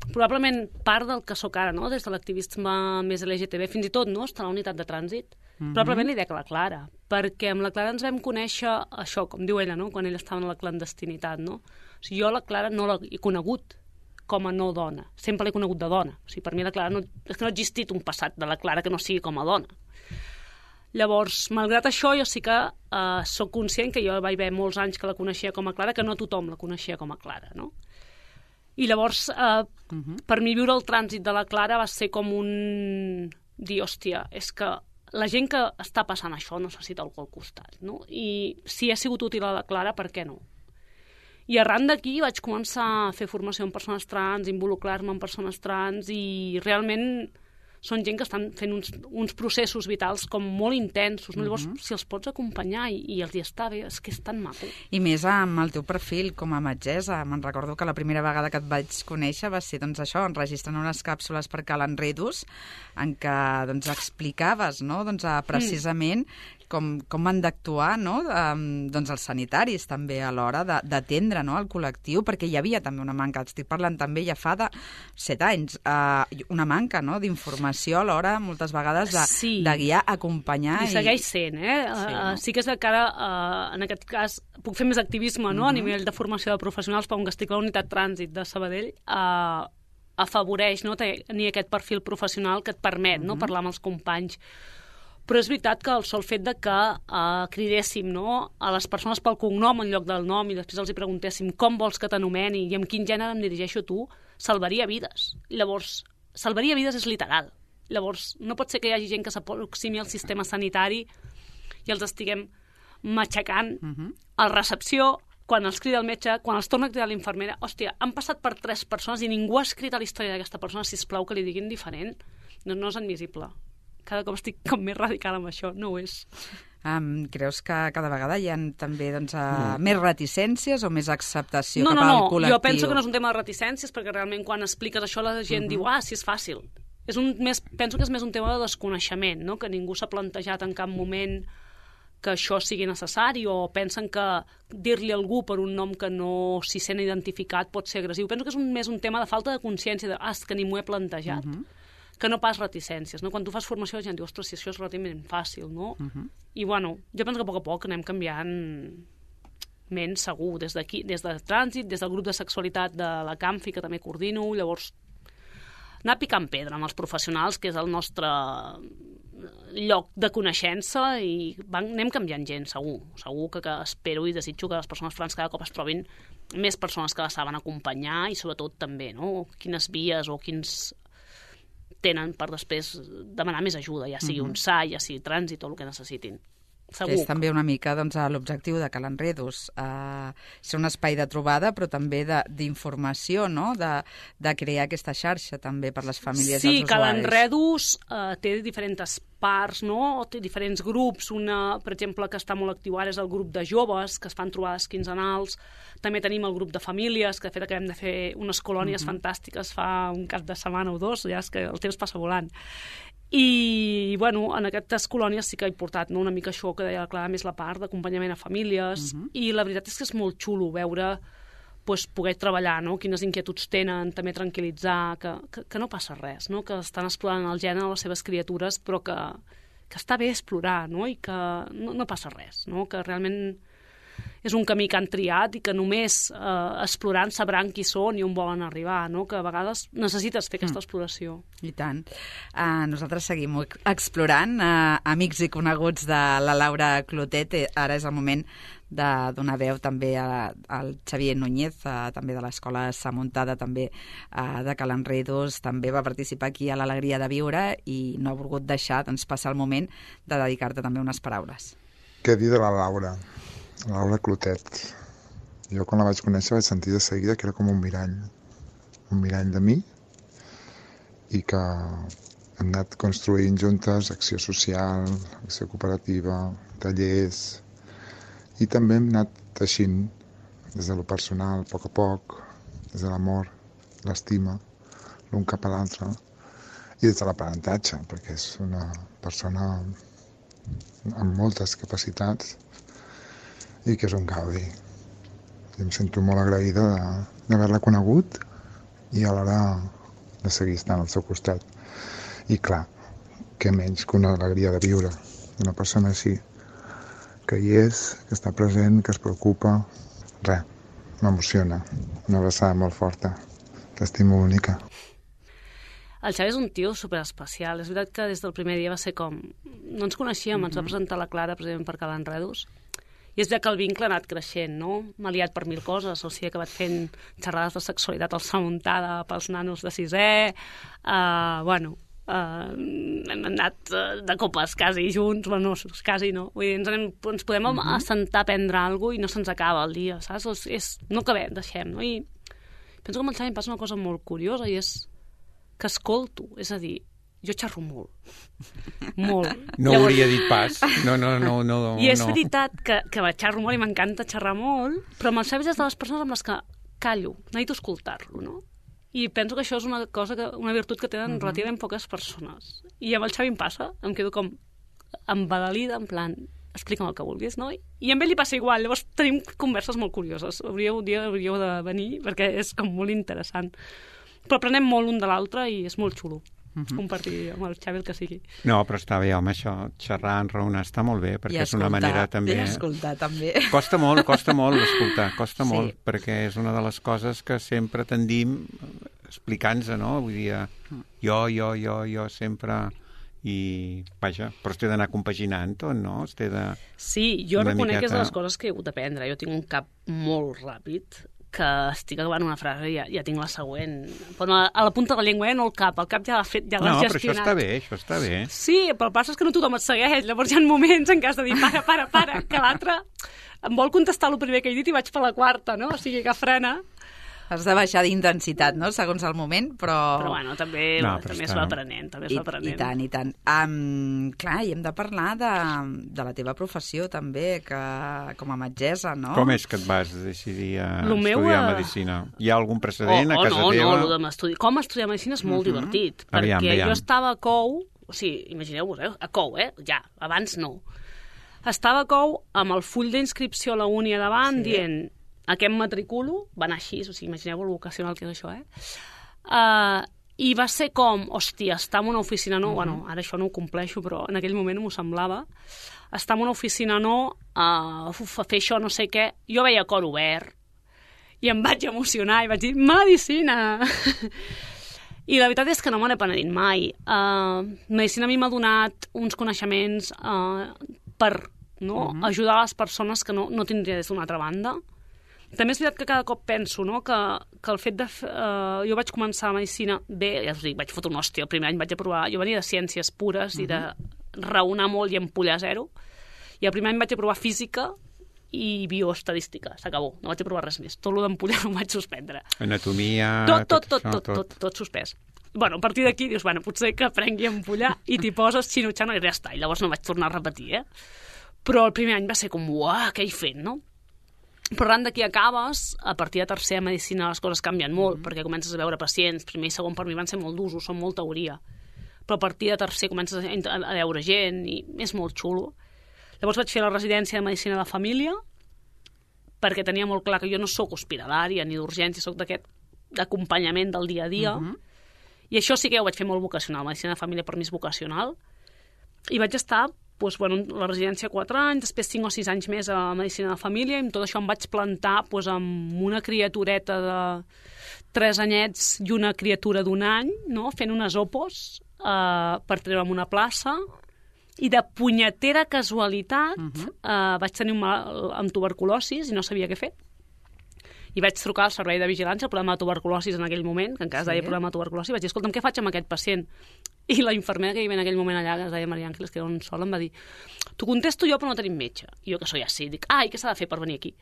probablement part del que sóc ara, no? Des de l'activisme més L G T B, fins i tot, no? Està a la unitat de trànsit. Mm-hmm. Probablement li dec a la Clara, perquè amb la Clara ens vam conèixer això, com diu ella, no? Quan ella estava en la clandestinitat, no? O sigui, jo la Clara no l'he conegut com a no dona, sempre l'he conegut de dona. O sigui, per mi la Clara no, és que no ha existit un passat de la Clara que no sigui com a dona. Llavors, malgrat això, jo sí que eh, sóc conscient que jo vaig haver molts anys que la coneixia com a Clara, que no tothom la coneixia com a Clara, no? I llavors, eh, uh-huh. per mi viure el trànsit de la Clara va ser com un dir, hòstia, és que la gent que està passant això necessita algú al costat, no? I si ha sigut útil a la Clara, per què no? I arran d'aquí vaig començar a fer formació en persones trans, involucrar-me en persones trans, i realment són gent que estan fent uns, uns processos vitals com molt intensos, no? Llavors, si els pots acompanyar i, i els hi està bé, és que és tan maco. I més amb el teu perfil com a metgessa. Me'n recordo que la primera vegada que et vaig conèixer va ser, doncs, això, enregistrant unes càpsules per Cal Enredus, en què, doncs, explicaves, no?, doncs, precisament mm. com, com han d'actuar, no?, um, doncs, els sanitaris també a l'hora d'atendre, no?, el col·lectiu, perquè hi havia també una manca, estic parlant també ja fa de set anys, uh, una manca, no?, d'informació a l'hora, moltes vegades, de, sí. de guiar, acompanyar... I segueix sent, eh? Sí, uh, no? sí que és que ara, uh, en aquest cas, puc fer més activisme, no?, uh-huh. a nivell de formació de professionals, però que estic a la unitat trànsit de Sabadell, uh, afavoreix, no?, tenir aquest perfil professional que et permet, uh-huh. no?, parlar amb els companys. Però és veritat que el sol fet de que uh, cridéssim, no?, a les persones pel cognom en lloc del nom i després els hi preguntéssim com vols que t'anomeni i amb quin gènere em dirigeixo a tu, salvaria vides. Llavors, salvaria vides és literal. Llavors, no pot ser que hi hagi gent que s'aproximi al sistema sanitari i els estiguem matxacant uh-huh. a la recepció, quan els crida el metge, quan els torna a cridar l'infermera. Hòstia, han passat per tres persones i ningú ha escrit a la història d'aquesta persona, sisplau, que li diguin diferent. No, no és admissible. Cada cop estic com més radical amb això, no ho és. Um, creus que cada vegada hi ha també doncs, uh, més reticències o més acceptació no, cap no, al no. col·lectiu? Jo penso que no és un tema de reticències, perquè realment quan expliques això la gent uh-huh. diu, ah, sí, és fàcil. És un, més, penso que és més un tema de desconeixement, no?, que ningú s'ha plantejat en cap moment que això sigui necessari, o pensen que dir-li a algú per un nom que no s'hi sent identificat pot ser agressiu. Penso que és un, més un tema de falta de consciència, de, ah, és que ni m'ho he plantejat. Uh-huh. Que no pas reticències, no? Quan tu fas formació la gent diu, ostres, si això és relativament fàcil, no? Uh-huh. I bueno, jo penso que a poc a poc anem canviant ment segur, des d'aquí, des de trànsit, des del grup de sexualitat de la Camfi, que també coordino, llavors anar picant pedra amb els professionals, que és el nostre lloc de coneixença, i van, anem canviant gent, segur. Segur que, que espero i desitjo que les persones trans cada cop es trobin més persones que les saben acompanyar i sobretot també, no?, quines vies o quins tenen per després demanar més ajuda, ja sigui un S A, ja sigui trànsit o el que necessitin. Segur. És també una mica doncs, l'objectiu de Cal Enredus, eh, ser un espai de trobada, però també d'informació, no?, de, de crear aquesta xarxa també per les famílies sí, dels usuaris. Sí, Cal Enredus eh, té diferents parts, no?, té diferents grups. Una, per exemple, que està molt actiu ara és el grup de joves, que es fan trobades quinzenals. També tenim el grup de famílies, que de fet acabem de fer unes colònies uh-huh. fantàstiques fa un cap de setmana o dos, ja és que el temps passa volant. I, bueno, en aquestes colònies sí que he portat, no?, una mica això que deia la Clara, més la part d'acompanyament a famílies, uh-huh. i la veritat és que és molt xulo veure, pues, poder treballar, no?, quines inquietuds tenen, també tranquil·litzar, que, que, que no passa res, no?, que estan explorant el gènere de les seves criatures, però que, que està bé explorar, no?, i que no, no passa res, no?, que realment és un camí que han triat i que només eh, explorant sabran qui són i on volen arribar, no?, que a vegades necessites fer aquesta exploració. I tant. Uh, nosaltres seguim explorant, uh, amics i coneguts de la Laura Clotet. Ara és el moment de donar veu també a, al Xavier Núñez, uh, també de l'Escola Sa Muntada, també uh, de Cal Enredus, també va participar aquí a l'Alegria de Viure i no ha volgut deixar, doncs, passar el moment de dedicar-te també unes paraules. Què dir de la Laura? La Laura Clotet. Jo quan la vaig conèixer vaig sentir de seguida que era com un mirall. Un mirall de mi i que hem anat construint juntes acció social, acció cooperativa, tallers i també hem anat teixint des de lo personal, a poc a poc, des de l'amor, l'estima, l'un cap a l'altre i des de l'aprenentatge, perquè és una persona amb moltes capacitats i que és un gaudi. I em sento molt agraïda d'haver-la conegut i alhora de seguir estant al seu costat. I clar, què menys que una alegria de viure d'una persona així, que hi és, que està present, que es preocupa. Res, m'emociona. Una abraçada molt forta. T'estimo, única. El Xavi és un tio superespecial. És veritat que des del primer dia va ser com... No ens coneixíem, mm-hmm. ens va presentar la Clara precisament per Cal Enredos. I és veritat que el vincle ha anat creixent, no? M'ha liat per mil coses. O sigui, he acabat fent xerrades de sexualitat al Samuntada pels nanos de sisè. Uh, bueno, uh, hem anat uh, de copes quasi junts. Bueno, no, quasi no. Vull dir, ens, anem, ens podem mm-hmm. assentar a prendre alguna cosa i no se'ns acaba el dia, saps? És, és, no acabem, deixem, no? I penso que amb el Xavi em passa una cosa molt curiosa i és que escolto, és a dir, jo xerro molt. Molt. No Llavors... hauria dit pas. No, no, no. no I és no. veritat que, que xerro molt i m'encanta xerrar molt, però amb el Xavi és de les persones amb les que callo, necessito escoltar-lo, no? I penso que això és una cosa que, una virtut que tenen uh-huh. relativament poques persones. I amb el Xavi em passa, em quedo com embadalida, en plan, explica'm el que vulguis, no? I amb ell li passa igual, llavors tenim converses molt curioses. Hauríeu, un dia hauríeu de venir, perquè és com molt interessant. Però aprenem molt un de l'altre i és molt xulo. Uh-huh. Compartir amb el Xavi el que sigui. No, però està bé, home, això, xerrar, enraonar, està molt bé, perquè és una manera també... I escoltar, també. Costa molt, costa molt escoltar, costa sí. molt, perquè és una de les coses que sempre tendim explicant-se, no? Vull dir, jo, jo, jo, jo, sempre... I, vaja, però es té d'anar compaginant tot, no? Es té de... Sí, jo reconec miqueta... que és de les coses que he hagut d'aprendre. Jo tinc un cap molt ràpid, que estic acabant una frase i ja, ja tinc la següent. Però a, a la punta de la llengua, eh? No el cap. El cap ja l'ha fet, ja l'has no, gestionat. No, però això està bé, això està bé. Sí, però el passa és que no tothom et segueix. Llavors hi ha moments en què has de dir, para, para, para, que l'altre em vol contestar el primer que he dit i vaig per la quarta, no? O sigui que frena. Has de baixar d'intensitat, no?, segons el moment, però... Però, bueno, també, no, però també està... es va aprenent, també es I, va aprenent. I tant, i tant. Um, clar, i hem de parlar de, de la teva professió, també, que com a metgessa, no? Com és que et vas decidir a lo estudiar meu, medicina? Hi ha algun precedent oh, a casa oh, no, teva? No, no, estudi... com estudiar medicina és molt uh-huh. divertit, perquè aviam, aviam. jo estava a Cou, o sigui, imagineu-vos, eh? a Cou, eh? ja, abans no. Estava a Cou amb el full d'inscripció a la uni a davant, sí. dient... Aquest matriculo, va anar així, o sigui, imagineu el vocacional que és això, eh? Uh, I va ser com, hòstia, estar en una oficina no, uh-huh. bueno, ara això no ho compleixo, però en aquell moment m'ho semblava, estar en una oficina no, uh, uf, fer això no sé què, jo veia cor obert, i em vaig emocionar, i vaig dir, medicina! I la veritat és que no me n'he penedit mai. Uh, medicina a mi m'ha donat uns coneixements uh, per no, uh-huh. ajudar les persones que no, no tindria des d'una altra banda. També és veritat que cada cop penso no, que, que el fet de... Uh, jo vaig començar a medicina bé, ja us dic, vaig fotre un hòstia, el primer any vaig aprovar... Jo venia de ciències pures uh-huh. i de raonar molt i empollar zero, i el primer any vaig aprovar física i bioestadística, s'acabó, no vaig aprovar res més. Tot el d'empollar no ho vaig suspendre. Anatomia... Tot, tot, tot, tot, tot, tot, tot suspès. Bueno, a partir d'aquí dius, bueno, potser que aprengui a empollar i t'hi poses xino-xano i ja està, i llavors no vaig tornar a repetir, eh? Però el primer any va ser com, uah, què he fet, no? Però arran d'aquí acabes, a partir de tercera medicina les coses canvien molt, mm-hmm. perquè comences a veure pacients, primer i segon per mi van ser molt d'usos, són molt teoria, però a partir de tercer comences a, a veure gent i és molt xulo. Llavors vaig fer la residència de medicina de família, perquè tenia molt clar que jo no sóc hospitalària ni d'urgència, sóc d'aquest acompanyament del dia a dia, mm-hmm. i això sí que ho vaig fer molt vocacional, medicina de família per mi és vocacional, i vaig estar doncs, bueno, la residència quatre anys, després cinc o sis anys més a medicina de família, i amb tot això em vaig plantar doncs, amb una criatureta de tres anyets i una criatura d'un any, no? Fent unes opos eh, per treure'm una plaça, i de punyetera casualitat uh-huh. eh, vaig tenir un mal amb tuberculosis i no sabia què fer. I vaig trucar al servei de vigilància, el problema de tuberculosis en aquell moment, que encara es deia sí. problema de tuberculosi, i vaig dir, escolta'm, què faig amb aquest pacient? I la infermera que hi havia en aquell moment allà, que es deia Maria Àngeles, que era un sol, em va dir t'ho contesto jo, però no tenim metge. I jo, que soy així, dic, ai, què s'ha de fer per venir aquí?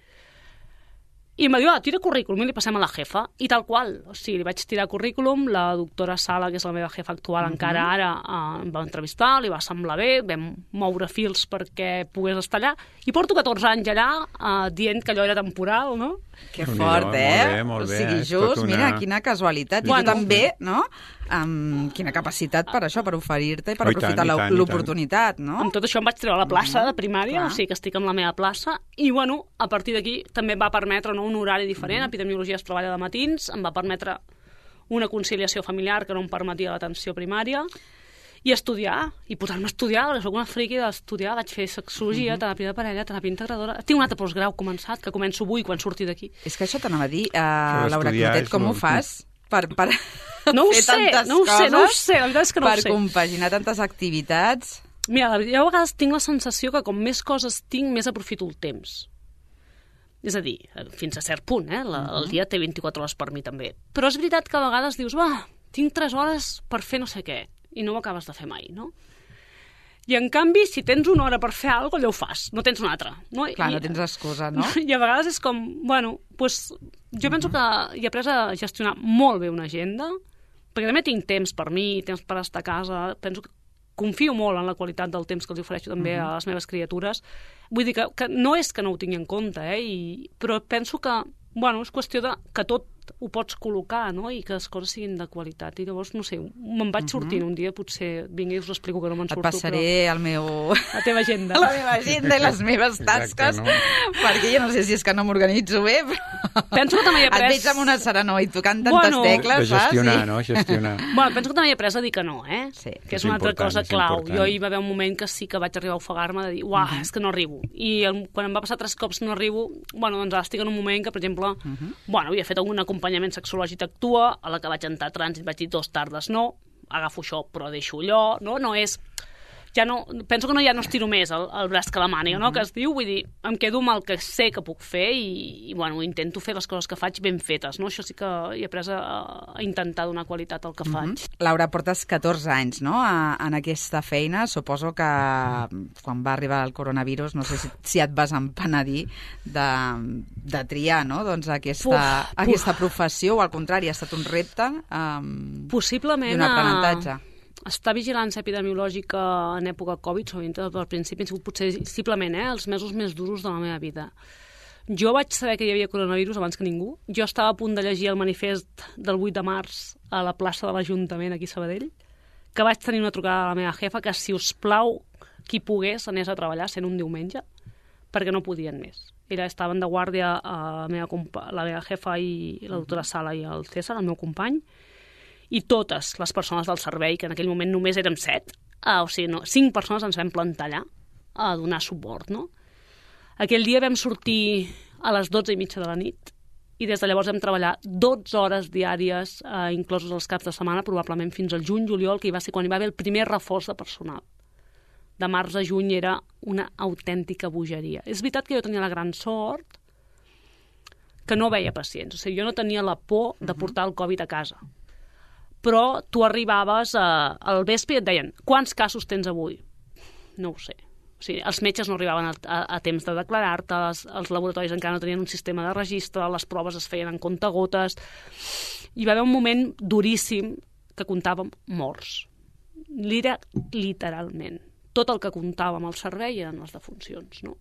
I em va dir, ah, tira currículum i li passem a la jefa. I tal qual. O sigui, li vaig tirar currículum, la doctora Sala, que és la meva jefa actual, uh-huh. encara ara eh, em va entrevistar, li va semblar bé, vam moure fils perquè pogués estar allà. I porto catorze anys allà eh, dient que allò era temporal, no? Que fort, eh? Molt bé, molt bé. O sigui, just, una... mira, quina casualitat. I Bueno, tu també, no? Amb quina capacitat per això, per oferir-te i per Oh, i aprofitar tant, i tant, i l'oportunitat, no? Amb tot això em vaig treure a la plaça de primària, Clar. o sigui que estic en la meva plaça, i bueno, a partir d'aquí també em va permetre no, un horari diferent, epidemiologia es treballa de matins, em va permetre una conciliació familiar que no em permetia l'atenció primària, i estudiar, i posar-me a estudiar, perquè soc una friqui d'estudiar, vaig fer sexologia, teràpia de parella, teràpia integradora... Tinc un altre postgrau començat, que començo avui quan surti d'aquí. És que això t'anava a dir, uh, Això Laura d'estudiar Clotet, és com ho molt- fas per, per No ho fer sé, tantes no ho sé, no ho coses, sé, la veritat és que no ho per sé. compaginar tantes activitats? Mira, la veritat, jo a vegades tinc la sensació que com més coses tinc, més aprofito el temps. És a dir, fins a cert punt, eh? La, el dia té vint-i-quatre hores per mi també. Però és veritat que a vegades dius, va, tinc tres hores per fer no sé què, i no ho acabes de fer mai, no? I en canvi, si tens una hora per fer alguna cosa, allò ho fas, no tens una altra. No? Clar, I, no tens excusa, no? I a vegades és com, bueno, pues, jo penso que he après a gestionar molt bé una agenda, perquè també tinc temps per mi, temps per estar a casa, penso que confio molt en la qualitat del temps que els ofereixo també uh-huh. a les meves criatures. Vull dir que, que no és que no ho tingui en compte, eh? I, però penso que, bueno, és qüestió de que tot ho pots col·locar, no? I que les coses siguin de qualitat. I llavors, no sé, me'n vaig sortint un dia, potser vingui i us explico que no me'n Et surto, passaré però... el meu... La teva agenda. la meva agenda i les meves tasques, Exacte, no? perquè jo no sé si és que no m'organitzo bé, però... Penso que també he après... Et veig amb una serenor i tocant tantes Bueno, tecles, De gestionar, saps? no? Gestionar. Bueno, penso que també he après a dir que no, eh? Sí. Que és És una altra important, cosa és clau. important. Jo hi va haver un moment que sí que vaig arribar a ofegar-me de dir, uah, Mhm. és que no arribo. I el, quan em va passar tres cops no arribo, bueno, doncs ara estic en un moment que, per exemple, Mhm. bueno, havia fet un acompanyament sexològic Actua, a la que vaig entrar a trànsit vaig dir dos tardes no, agafo això però deixo allò, no? No és... Ja no, penso que no ja no estiro més el, el braç que la màniga, no? Que es diu, vull dir, em quedo amb el que sé que puc fer i, i bueno, intento fer les coses que faig ben fetes, no? Això sí que he après a, a intentar donar qualitat al que faig. Laura, portes catorze anys, no?, a, en aquesta feina. Suposo que quan va arribar el coronavirus, no sé si, si et vas empenedir de, de triar, no?, doncs aquesta, Uf, aquesta professió, o al contrari, ha estat un repte um, Possiblement... i un aprenentatge. A... Estar vigilància epidemiològica en època Covid, sobretot al principi, han sigut potser simplement eh, els mesos més durs de la meva vida. Jo vaig saber que hi havia coronavirus abans que ningú. Jo estava a punt de llegir el manifest del vuit de març a la plaça de l'Ajuntament aquí a Sabadell, que vaig tenir una trucada a la meva jefa que, si us plau, qui pogués anés a treballar sent un diumenge, perquè no podien més. Ella estaven de guàrdia a la meva, compa- la meva jefa i la doctora Sala i el César, el meu company, i totes les persones del servei, que en aquell moment només érem set, uh, o sigui, no, cinc persones ens vam plantar allà a donar suport, no? Aquell dia vam sortir a les dotze i mitja de la nit i des de llavors vam treballar dotze hores diàries, uh, inclosos els caps de setmana, probablement fins al juny-juliol, que hi va ser quan hi va haver el primer reforç de personal. De març a juny era una autèntica bogeria. És veritat que jo tenia la gran sort que no veia pacients. O sigui, jo no tenia la por de portar el Covid a casa. Però tu arribaves a, al vespre i et deien, quants casos tens avui? No ho sé. O sigui, els metges no arribaven a, a, a temps de declarar-te, els, els laboratoris encara no tenien un sistema de registre, les proves es feien en comptagotes. Hi va haver un moment duríssim que comptàvem morts. Era literalment. Tot el que comptàvem al servei eren les defuncions, no?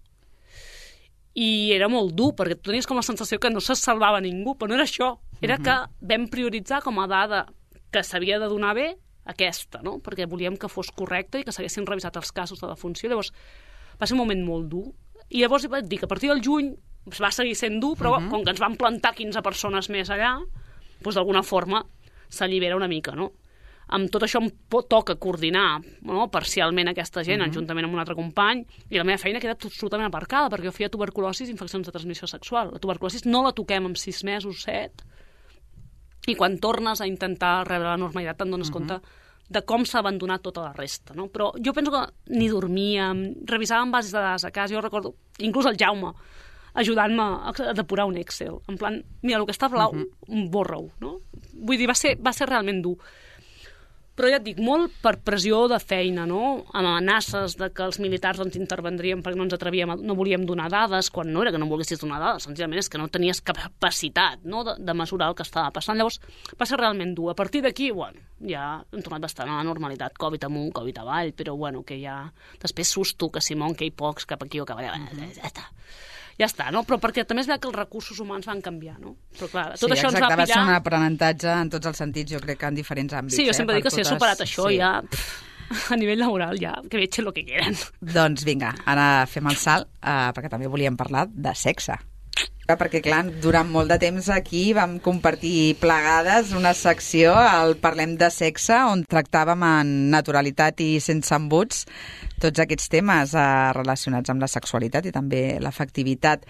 I era molt dur, perquè tu tenies com la sensació que no se salvava ningú, però no era això. Era que vam prioritzar com a dada que s'havia de donar bé aquesta, no? Perquè volíem que fos correcte i que s'haguessin revisat els casos de defunció. Llavors, va ser un moment molt dur. I llavors vaig dir que a partir del juny va seguir sent dur, però uh -huh. com que ens van plantar quinze persones més allà, doncs d'alguna forma s'allibera una mica, no? Amb tot això em toca coordinar, no?, parcialment aquesta gent, uh -huh. juntament amb un altre company, i la meva feina queda absolutament aparcada, perquè jo feia tuberculosi i infeccions de transmissió sexual. La tuberculosi no la toquem en sis mesos, set, i quan tornes a intentar rebre la normalitat te'n dones uh -huh. compte de com s'ha abandonat tota la resta, no? Però jo penso que ni dormíem, revisàvem bases de dades a casa, jo recordo, inclús el Jaume, ajudant-me a depurar un Excel, en plan, mira, el que està blau, uh -huh. borra-ho, no? Vull dir, va ser, va ser realment dur. però ja et dic, molt per pressió de feina, no? Amb amenaces de que els militars ens intervendrien perquè no ens atrevíem, a, no volíem donar dades, quan no era que no volguessis donar dades, senzillament és que no tenies capacitat, no?, de, de mesurar el que estava passant. Llavors, va ser realment dur. A partir d'aquí, bueno, ja hem tornat bastant a la normalitat, Covid amunt, Covid avall, però bueno, que ja... Després susto, que Simón, que hi pocs, cap aquí o cap allà, ja està. Ja està, no? Però perquè també es veu que els recursos humans van canviar, no? Però clar, tot sí, això exacte, ens va pillar... va ser un aprenentatge en tots els sentits, jo crec que en diferents àmbits. Sí, jo sempre eh, dic que si he superat això sí. ja, pff, a nivell laboral ja, que veig el que quieren. Doncs vinga, ara fem el salt, eh, perquè també volíem parlar de sexe. Perquè, clar, durant molt de temps aquí vam compartir plegades una secció, el Parlem de Sexe, on tractàvem en naturalitat i sense embuts tots aquests temes eh, relacionats amb la sexualitat i també l'afectivitat.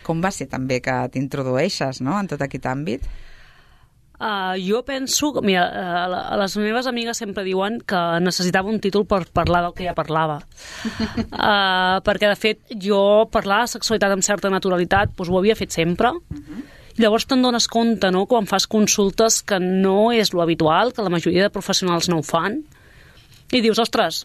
Com va ser també que t'introdueixes, no?, en tot aquest àmbit? Uh, jo penso... Mira, uh, les meves amigues sempre diuen que necessitava un títol per parlar del que ja parlava. Uh, perquè, de fet, jo parlar de sexualitat amb certa naturalitat doncs ho havia fet sempre. Uh-huh. I llavors te'n dones compte, no?, quan fas consultes que no és lo habitual, que la majoria de professionals no ho fan. I dius, ostres,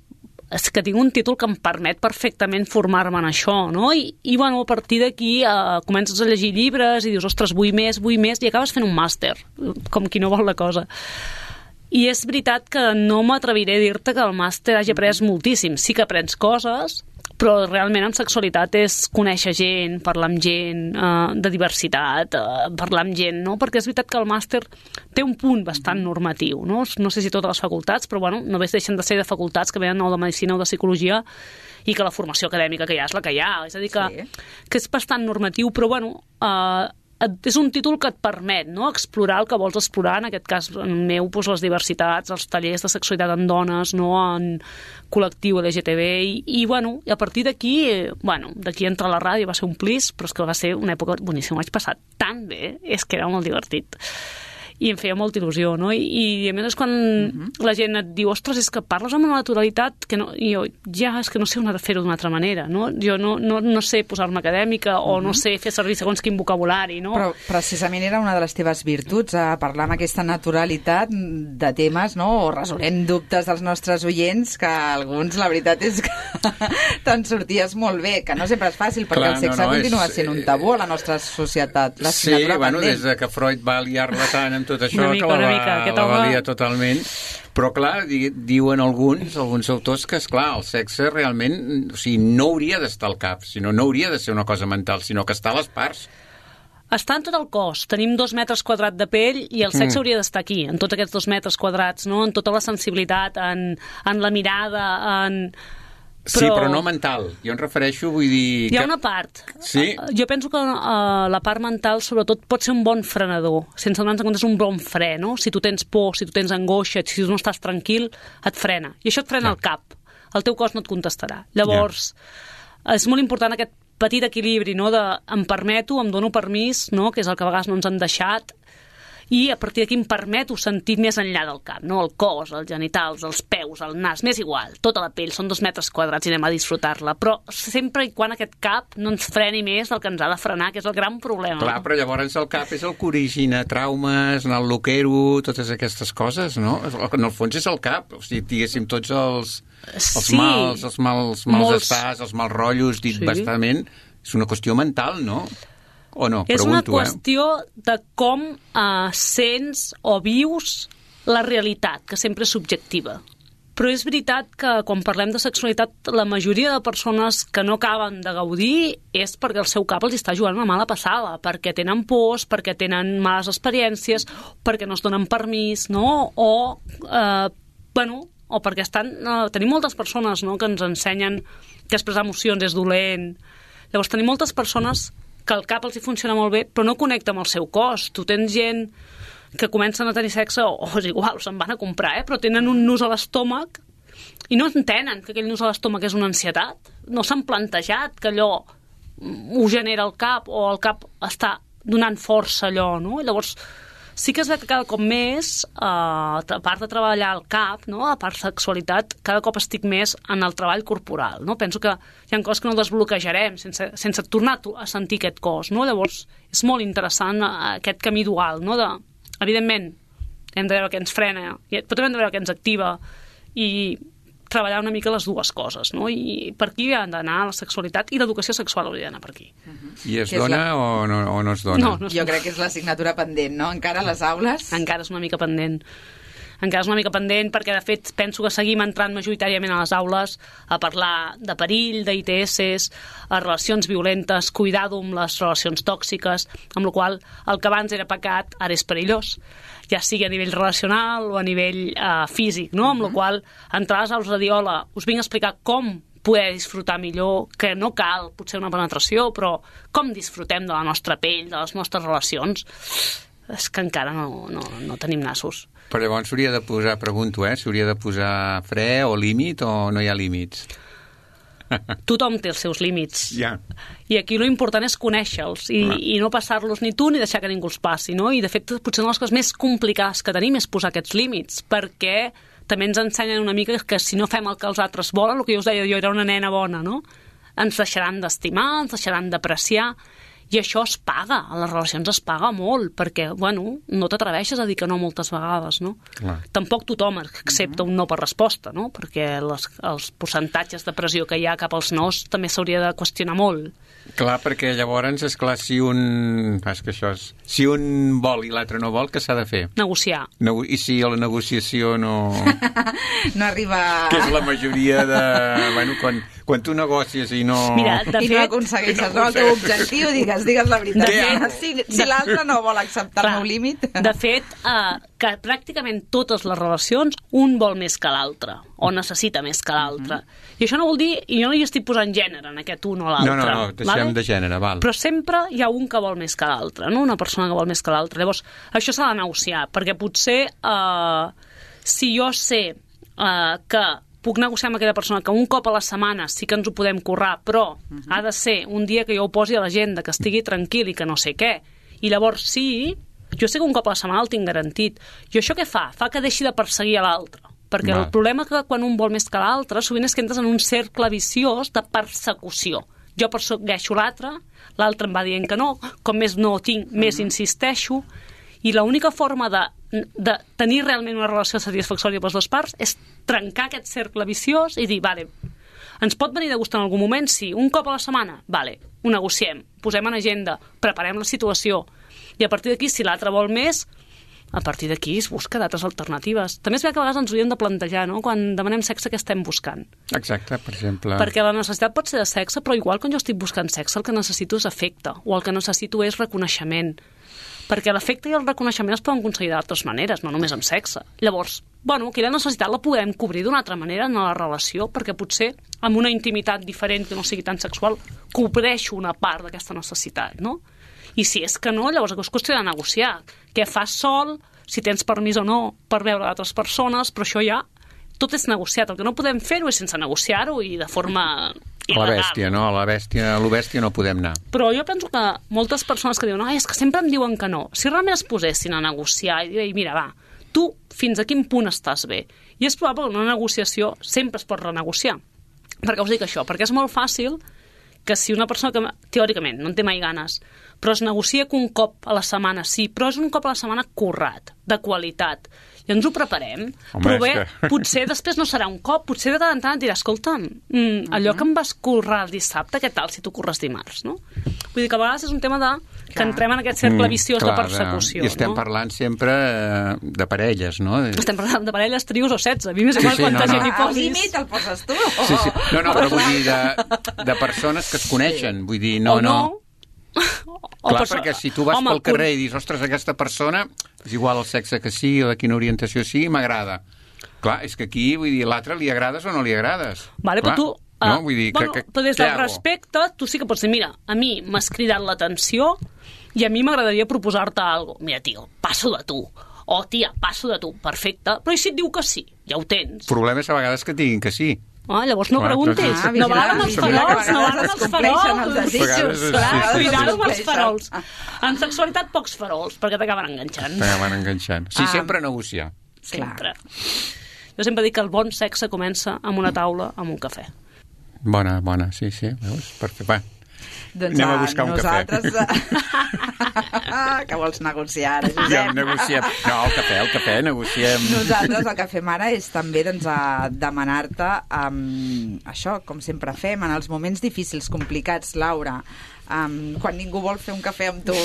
és que tinc un títol que em permet perfectament formar-me en això, no? I, i bueno, a partir d'aquí eh, comences a llegir llibres i dius, ostres, vull més, vull més, i acabes fent un màster, com qui no vol la cosa. I és veritat que no m'atreviré a dir-te que el màster hagi après moltíssim. Sí que aprens coses, però realment en sexualitat és conèixer gent, parlar amb gent, eh, de diversitat, eh, parlar amb gent, no? Perquè és veritat que el màster té un punt bastant normatiu, no? No sé si totes les facultats, però bueno, només deixen de ser de facultats que venen o de Medicina o de Psicologia i que la formació acadèmica que hi ha és la que hi ha. És a dir, que, sí. que és bastant normatiu, però bueno... Eh, és un títol que et permet, no?, explorar el que vols explorar, en aquest cas en meu, doncs, les diversitats, els tallers de sexualitat en dones, no?, en col·lectiu L G T B, i, i bueno, i a partir d'aquí, bueno, d'aquí entra la ràdio, va ser un plis, però és que va ser una època boníssima, ho vaig passar tan bé, és que era molt divertit. I em feia molta il·lusió, no? I, i a més és quan uh-huh. la gent et diu, ostres, és que parles amb una naturalitat que no... I jo, ja, és que no sé on fer-ho d'una altra manera, no? Jo no, no, no sé posar-me acadèmica o uh-huh. no sé fer servir segons quin vocabulari, no? Però precisament era una de les teves virtuts, a parlar amb aquesta naturalitat de temes, no? O resolent dubtes dels nostres oients, que alguns, la veritat és que te'n sorties molt bé, que no sempre és fàcil, perquè Clar, el sexe no, no, continua és... sent un tabú a la nostra societat. La sí, bueno, pendent. Des de que Freud va liar-la tant amb tot això, mica, que la, mica, va, la va liar totalment. Però, clar, di, diuen alguns, alguns autors, que, esclar, el sexe realment, o sigui, no hauria d'estar al cap, sinó no hauria de ser una cosa mental, sinó que està a les parts. Està en tot el cos. Tenim dos metres quadrats de pell i el sexe mm. hauria d'estar aquí, en tots aquests dos metres quadrats, no? En tota la sensibilitat, en, en la mirada, en... Però... Sí, però no mental. Jo em refereixo, vull dir... Hi ha que... una part. Sí? Jo penso que uh, la part mental, sobretot, pot ser un bon frenador. Sense donar-nos compte, és un bon fre, no? Si tu tens por, si tu tens angoixa, si tu no estàs tranquil, et frena. I això et frena ja. el cap. El teu cos no et contestarà. Llavors, ja. és molt important aquest petit equilibri, no? De em permeto, em dono permís, no? Que és el que a vegades no ens han deixat, i a partir d'aquí em permeto sentir més enllà del cap, no? El cos, els genitals, els peus, el nas, m'és igual, tota la pell, són dos metres quadrats i anem a disfrutar-la, però sempre i quan aquest cap no ens freni més del que ens ha de frenar, que és el gran problema. Clar, però llavors el cap és el que origina traumes, anar al loquero, totes aquestes coses, no? En el fons és el cap, o sigui, diguéssim, tots els, els sí, mals, els mals, mals molts... estars, els mals rotllos, dit sí. bastament, és una qüestió mental, no? O no? És Pregunto, una qüestió eh? de com uh, sents o vius la realitat, que sempre és subjectiva. Però és veritat que quan parlem de sexualitat, la majoria de persones que no acaben de gaudir és perquè el seu cap els està jugant una mala passada, perquè tenen pors, perquè tenen males experiències, perquè no es donen permís, no? O, eh, bueno, o perquè estan... Eh, tenim moltes persones, no?, que ens ensenyen que expressar emocions és dolent. Llavors, tenim moltes persones que el cap els hi funciona molt bé, però no connecta amb el seu cos. Tu tens gent que comencen a tenir sexe, o, o és igual, se'n van a comprar, eh? Però tenen un nus a l'estómac i no entenen que aquell nus a l'estómac és una ansietat. No s'han plantejat que allò ho genera el cap, o el cap està donant força allò, no? I llavors, sí que es veu que cada cop més, eh, a part de treballar el cap, no? A part de sexualitat, cada cop estic més en el treball corporal, no? Penso que hi ha coses que no desbloquejarem sense, sense tornar a sentir aquest cos, no? Llavors, és molt interessant aquest camí dual, no? De, evidentment, hem de veure què ens frena, però també hem de veure què ens activa i treballar una mica les dues coses, no? I per aquí ha d'anar la sexualitat i l'educació sexual hauria d'anar per aquí. Uh-huh. I es dona la... o, no, o no es dona? No, no es jo crec que és l'assignatura pendent, no? Encara a les aules? Encara és una mica pendent. Encara és una mica pendent perquè, de fet, penso que seguim entrant majoritàriament a les aules a parlar de perill, d'I T S, a relacions violentes, cuidado amb les relacions tòxiques, amb la qual el que abans era pecat ara és perillós, ja sigui a nivell relacional o a nivell uh, físic, no? Amb la qual entrar a les aules de dir, hola, us vinc a explicar com poder disfrutar millor, que no cal potser una penetració, però com disfrutem de la nostra pell, de les nostres relacions, és que encara no, no, no tenim nassos. Però llavors s'hauria de posar, pregunto, eh, s'hauria de posar fre o límit o no hi ha límits? Tothom té els seus límits. Ja. I aquí l'important és conèixer-los i, i no passar-los ni tu ni deixar que ningú els passi, no? I de fet, potser una de les coses més complicades que tenim és posar aquests límits, perquè també ens ensenyen una mica que si no fem el que els altres volen, el que jo us deia, jo era una nena bona, no? Ens deixaran d'estimar, ens deixaran d'apreciar, i això es paga, a les relacions es paga molt, perquè, bueno, no t'atreveixes a dir que no moltes vegades, no? Clar. Tampoc tothom accepta un no per resposta, no? Perquè les, els percentatges de pressió que hi ha cap als nos també s'hauria de qüestionar molt. Clar, perquè llavors, és clar, si un... És que això és... Si un vol i l'altre no vol, què s'ha de fer? Negociar. Nego... I si la negociació no... no arriba... Que és la majoria de... Bueno, quan, quan tu negocies i no... Mira, de I fet... no aconsegueixes no, el teu objectiu, digues, digues la veritat. De... Si, si l'altre no vol acceptar el meu límit... De fet, eh, que pràcticament totes les relacions un vol més que l'altre, o necessita més que l'altre. Mm-hmm. I això no vol dir... I jo no hi estic posant gènere en aquest un o l'altre. No, no, no, deixem vale? de gènere, val. Però sempre hi ha un que vol més que l'altre, no? Una persona que vol més que l'altre. Llavors, això s'ha de negociar, perquè potser eh, si jo sé eh, que puc negociar amb aquella persona que un cop a la setmana sí que ens ho podem currar, però uh-huh. ha de ser un dia que jo ho posi a l'agenda, que estigui tranquil i que no sé què. I llavors sí, jo sé que un cop a la setmana el tinc garantit. I això què fa? Fa que deixi de perseguir a l'altre. Perquè Va. el problema que quan un vol més que l'altre sovint és que entres en un cercle viciós de persecució. Jo persegueixo l'altre, l'altre em va dient que no, com més no ho tinc, uh-huh. més insisteixo, i l'única forma de, de tenir realment una relació satisfactòria pels dos parts és trencar aquest cercle viciós i dir, vale, ens pot venir de gust en algun moment? Sí. Un cop a la setmana? Vale, ho negociem, posem en agenda, preparem la situació, i a partir d'aquí, si l'altre vol més, a partir d'aquí es busca d'altres alternatives. També és bé que a vegades ens ho hauríem de plantejar, no? Quan demanem sexe, què estem buscant? Exacte, per exemple... Perquè la necessitat pot ser de sexe, però igual quan jo estic buscant sexe, el que necessito és afecte, o el que necessito és reconeixement. Perquè l'afecte i el reconeixement es poden aconseguir d'altres maneres, no només amb sexe. Llavors, bueno, aquella necessitat la podem cobrir d'una altra manera en la relació, perquè potser amb una intimitat diferent que no sigui tan sexual cobreixo una part d'aquesta necessitat, no? I si és que no, llavors és qüestió de negociar. Què fas sol, si tens permís o no per veure d'altres persones, però això ja tot és negociat. El que no podem fer-ho és sense negociar-ho i de forma il·legal. A la bèstia, no? A la bèstia, a lo bèstia no podem anar. Però jo penso que moltes persones que diuen no, és que sempre em diuen que no. Si realment es posessin a negociar i dir, mira, va, tu fins a quin punt estàs bé? I és probable que una negociació sempre es pot renegociar. Per què us dic això? Perquè és molt fàcil que si una persona que teòricament no en té mai ganes, però es negocia que un cop a la setmana sí, però és un cop a la setmana currat, de qualitat, i ens ho preparem, Home, però bé, que... potser després no serà un cop, potser de tant en tant et dirà, escolta'm, mm, allò que em vas currar el dissabte, què tal si tu curres dimarts, no? Vull dir que a vegades és un tema de que clar. entrem en aquest cercle viciós mm, clar, de persecució. I estem no? parlant sempre de parelles, no? Estem parlant de parelles, trios o setze, a mi m'és igual sí, sí, quanta no, gent no. hi posis. El límit el poses tu. Sí, sí. No, no, però vull dir de, de persones que es coneixen, vull dir, no, o no. no. Clar, perquè si tu vas Home, pel carrer i dius, ostres, aquesta persona, és igual el sexe que sigui o de quina orientació sigui, m'agrada. Clar, és que aquí, vull dir, l'altre li agrades o no li agrades. Vale, clar, però tu... Uh, no? Vull dir, bueno, que, que, però des del respecte, tu sí que pots dir, mira, a mi m'has cridat l'atenció i a mi m'agradaria proposar-te alguna cosa. Mira, tio, passo de tu. O, tia, passo de tu. Perfecte. Però i si et diu que sí? Ja ho tens. El problema és a vegades que diguin que sí. Ah, llavors no clar, preguntis. Ah, no valen els farols, no valen els farols. Clar, cuidado amb els farols. En sexualitat, pocs farols, perquè t'acaben enganxant. T'acaben enganxant. Sí, ah. sempre negociar. Sempre. Jo sempre dic que el bon sexe comença amb una taula, amb un cafè. Bona, bona, sí, sí. Veus? Perquè, va. Doncs anem a buscar un nosaltres... cafè. Que vols negociar, Josep? Ja negociem. No, el cafè, el cafè, negociem. Nosaltres el que fem ara és també doncs, a demanar-te um, això, com sempre fem, en els moments difícils, complicats, Laura, um, quan ningú vol fer un cafè amb tu,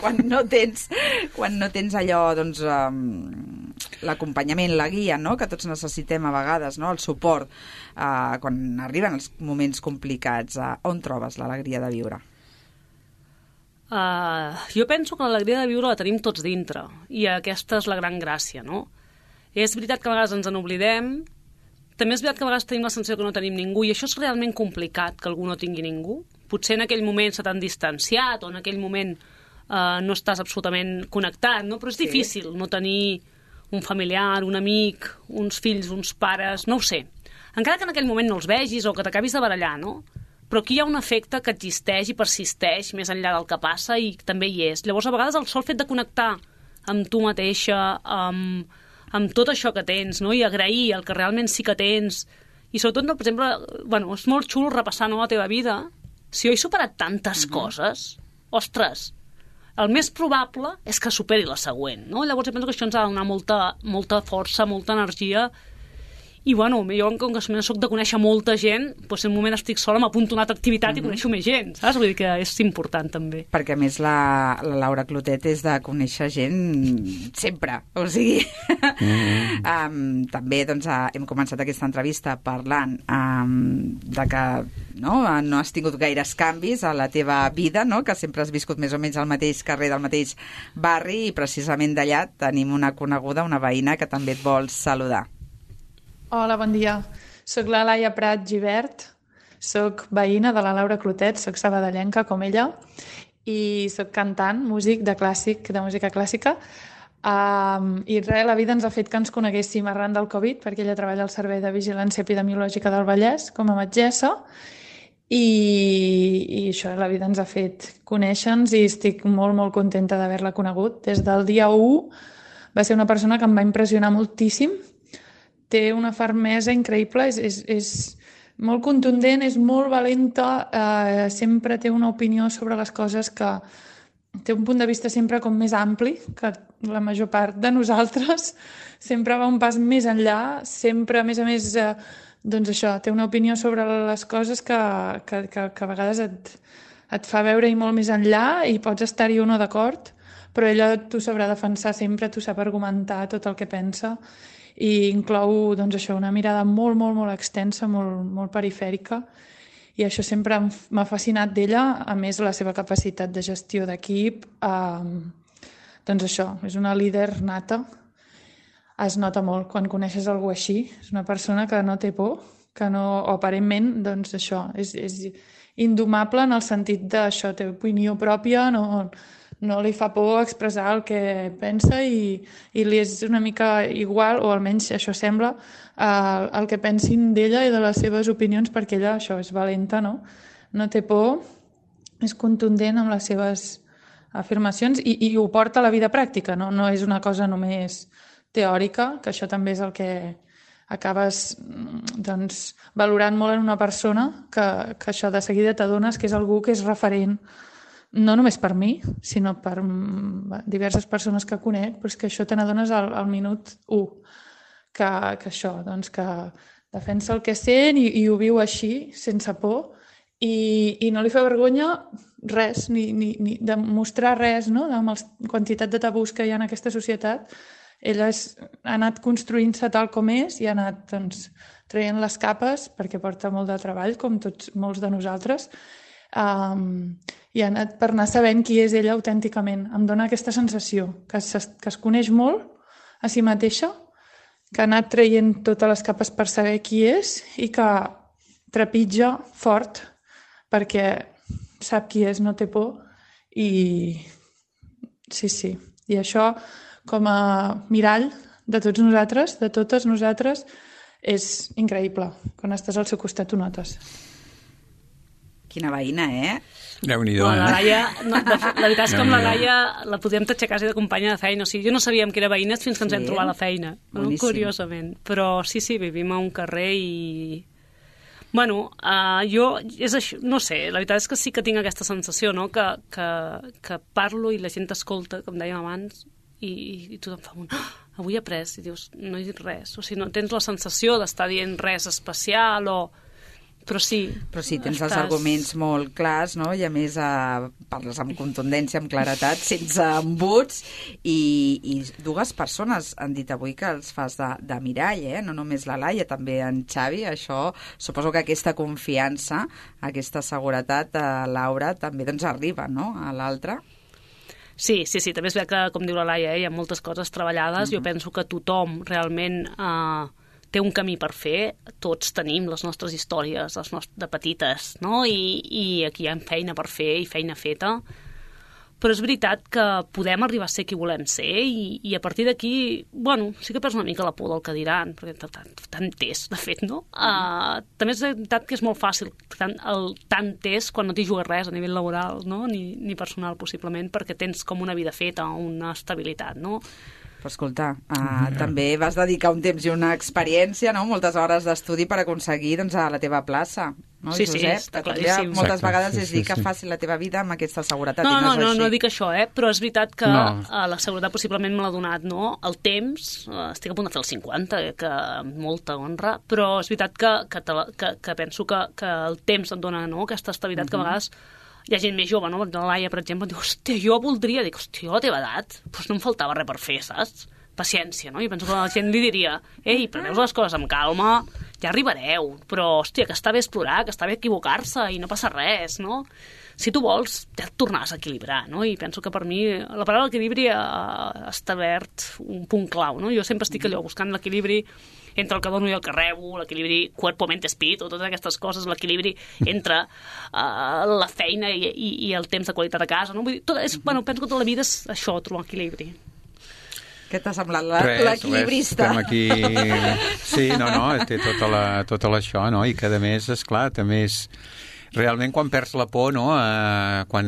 quan no tens, quan no tens allò, doncs, um, l'acompanyament, la guia, no?, que tots necessitem a vegades, no?, el suport, uh, quan arriben els moments complicats, uh, on trobes l'alegria de viure? Uh, jo penso que l'alegria de viure la tenim tots dintre, i aquesta és la gran gràcia, no? És veritat que a vegades ens en oblidem, també és veritat que a vegades tenim la sensació que no tenim ningú, i això és realment complicat, que algú no tingui ningú. Potser en aquell moment se t'han distanciat, o en aquell moment uh, no estàs absolutament connectat, no? Però és sí. difícil no tenir un familiar, un amic, uns fills, uns pares, no ho sé. Encara que en aquell moment no els vegis o que t'acabis de barallar, no? Però aquí hi ha un efecte que existeix i persisteix més enllà del que passa i també hi és. Llavors, a vegades, el sol fet de connectar amb tu mateixa, amb, amb tot això que tens, no? I agrair el que realment sí que tens. I sobretot, no, per exemple, bueno, és molt xulo repassar, no, la teva vida. Si jo he superat tantes uh-huh. coses, ostres, el més probable és que superi la següent, no? Llavors, jo penso que això ens ha de donar molta, molta força, molta energia. I, bueno, jo, com que soc de conèixer molta gent, doncs en un moment estic sola, m'apunto a una altra activitat mm-hmm. i coneixo més gent, saps? Vull dir que és important, també. Perquè, a més, la, la Laura Clotet és de conèixer gent sempre, o sigui... Mm-hmm. um, també, doncs, hem començat aquesta entrevista parlant um, de que no, no has tingut gaires canvis a la teva vida, no? Que sempre has viscut més o menys al mateix carrer del mateix barri i, precisament d'allà, tenim una coneguda, una veïna, que també et vol saludar. Hola, bon dia. Soc la Laia Prat Givert, soc veïna de la Laura Clotet, soc sabadellenca com ella, i soc cantant, músic de clàssic, de música clàssica. Um, I res, la vida ens ha fet que ens coneguéssim arran del Covid, perquè ella treballa al Servei de Vigilància Epidemiològica del Vallès com a metgessa, i, i això, la vida ens ha fet conèixer-nos i estic molt, molt contenta d'haver-la conegut. Des del dia u va ser una persona que em va impressionar moltíssim. Té una fermesa increïble, és, és, és molt contundent, és molt valenta, eh, sempre té una opinió sobre les coses que té un punt de vista sempre com més ampli que la major part de nosaltres, sempre va un pas més enllà, sempre, a més a més, eh, doncs això, té una opinió sobre les coses que, que, que, que a vegades et, et fa veure-hi molt més enllà i pots estar-hi o no d'acord, però ella t'ho sabrà defensar sempre, t'ho sap argumentar tot el que pensa, i inclou doncs, això, una mirada molt, molt, molt extensa, molt, molt perifèrica, i això sempre m'ha fascinat d'ella, a més la seva capacitat de gestió d'equip, eh, doncs això, és una líder nata, es nota molt quan coneixes algú així, és una persona que no té por, que no, o aparentment, doncs això, és, és indomable en el sentit d'això, té opinió pròpia, no... no li fa por expressar el que pensa i, i li és una mica igual, o almenys això sembla, eh, el que pensin d'ella i de les seves opinions, perquè ella això és valenta, no? No té por, és contundent amb les seves afirmacions i, i ho porta a la vida pràctica, no? No és una cosa només teòrica, que això també és el que acabes doncs, valorant molt en una persona, que, que això de seguida t'adones que és algú que és referent no només per mi, sinó per diverses persones que conec, però és que això te n'adones al, al minut u, que, que això, doncs que defensa el que sent i, i ho viu així, sense por, i, i no li fa vergonya res, ni, ni, ni de mostrar res, no? Amb la quantitat de tabús que hi ha en aquesta societat. Ella és, ha anat construint-se tal com és i ha anat doncs, traient les capes, perquè porta molt de treball, com tots molts de nosaltres, Um, i ha anat per anar sabent qui és ella autènticament. Em dona aquesta sensació que es, que es coneix molt a si mateixa, que ha anat traient totes les capes per saber qui és i que trepitja fort perquè sap qui és, no té por i sí, sí. I això com a mirall de tots nosaltres, de totes nosaltres, és increïble. Quan estàs al seu costat ho notes. Quina veïna, eh? Déu-n'hi-do, no, la eh? Laia, no, de, la veritat és que amb la Laia la podíem tatxar quasi de companya de feina. O sigui, jo no sabíem que era veïnes fins que ens sí. vam trobar a la feina. No? Curiosament. Però sí, sí, vivim a un carrer i... Bueno, uh, jo, és això, no sé, la veritat és que sí que tinc aquesta sensació, no?, que, que, que parlo i la gent t'escolta, com dèiem abans, i, i tothom fa un... Oh, avui he après, i dius, no he dit res. O sigui, no tens la sensació d'estar dient res especial o... Però sí. Però sí, tens estàs... els arguments molt clars, no? I a més eh, parles amb contundència, amb claretat, sense embuts, i, i dues persones han dit avui que els fas de, de mirall, eh? No només la Laia, també en Xavi. Això, suposo que aquesta confiança, aquesta seguretat, eh, Laura, també doncs arriba, no?, a l'altre. Sí, sí, sí, també és bé que, com diu la Laia, eh, hi ha moltes coses treballades. Uh-huh. Jo penso que tothom realment... Eh, té un camí per fer, tots tenim les nostres històries les nostres, de petites, no? I, i aquí hi ha feina per fer i feina feta, però és veritat que podem arribar a ser qui volem ser i, i a partir d'aquí, bueno, sí que perds una mica la por del que diran, perquè tant, tant és, de fet, no? Uh, també és veritat que és molt fàcil tant, el tant és quan no t'hi jugues res a nivell laboral, no? Ni, ni personal, possiblement, perquè tens com una vida feta, una estabilitat, no? Però escolta, uh, mm. també vas dedicar un temps i una experiència, no?, moltes hores d'estudi per aconseguir doncs, a la teva plaça. No, sí, Josep? sí, està claríssim. Moltes Exacte, vegades sí, és dir sí, que sí. faci la teva vida amb aquesta seguretat. No, i no, no, no, és no així. dic això, eh? Però és veritat que No. uh, la seguretat possiblement me l'ha donat, no? El temps, uh, estic a punt de fer el cinquanta, eh, que amb molta honra, però és veritat que, que, te la, que, que penso que, que el temps et dona, no?, aquesta estabilitat uh-huh. que a vegades hi ha gent més jove, no? La Laia, per exemple, diu, hòstia, jo voldria, dic, hòstia, a la teva edat, doncs no em faltava res per fer, saps? Paciència, no? I penso que la gent li diria, ei, preneu les coses amb calma, ja arribareu, però, hòstia, que està bé explorar, que està bé equivocar-se i no passa res, no? Si tu vols, ja et tornaràs a equilibrar, no? I penso que per mi la paraula equilibri ha establert un punt clau, no? Jo sempre estic allò buscant l'equilibri entre el que dono i el que rebo, l'equilibri cuerpo, mente, espíritu, totes aquestes coses, l'equilibri entre uh, la feina i, i, i el temps de qualitat a casa, no? Vull dir, tot és, bueno, penso que tota la vida és això, trobar equilibri. Què t'ha semblat la, res, l'equilibrista? Res, estem aquí... Sí, no, no, té tota, la, tota l'això, no? I que, a més, esclar, també és... Realment, quan perds la por, no? Eh, quan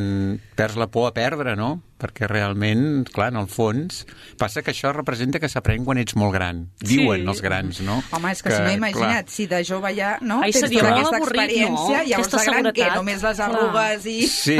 perds la por a perdre, no? Perquè realment, clar, en el fons, passa que això representa que s'aprèn quan ets molt gran. Diuen sí. els grans, no? Home, és que, que si no, imagina't, clar. Si de jove ja, no? Ai, tens tota aquesta experiència, no? llavors de gran què? Només les arrugues i... Sí,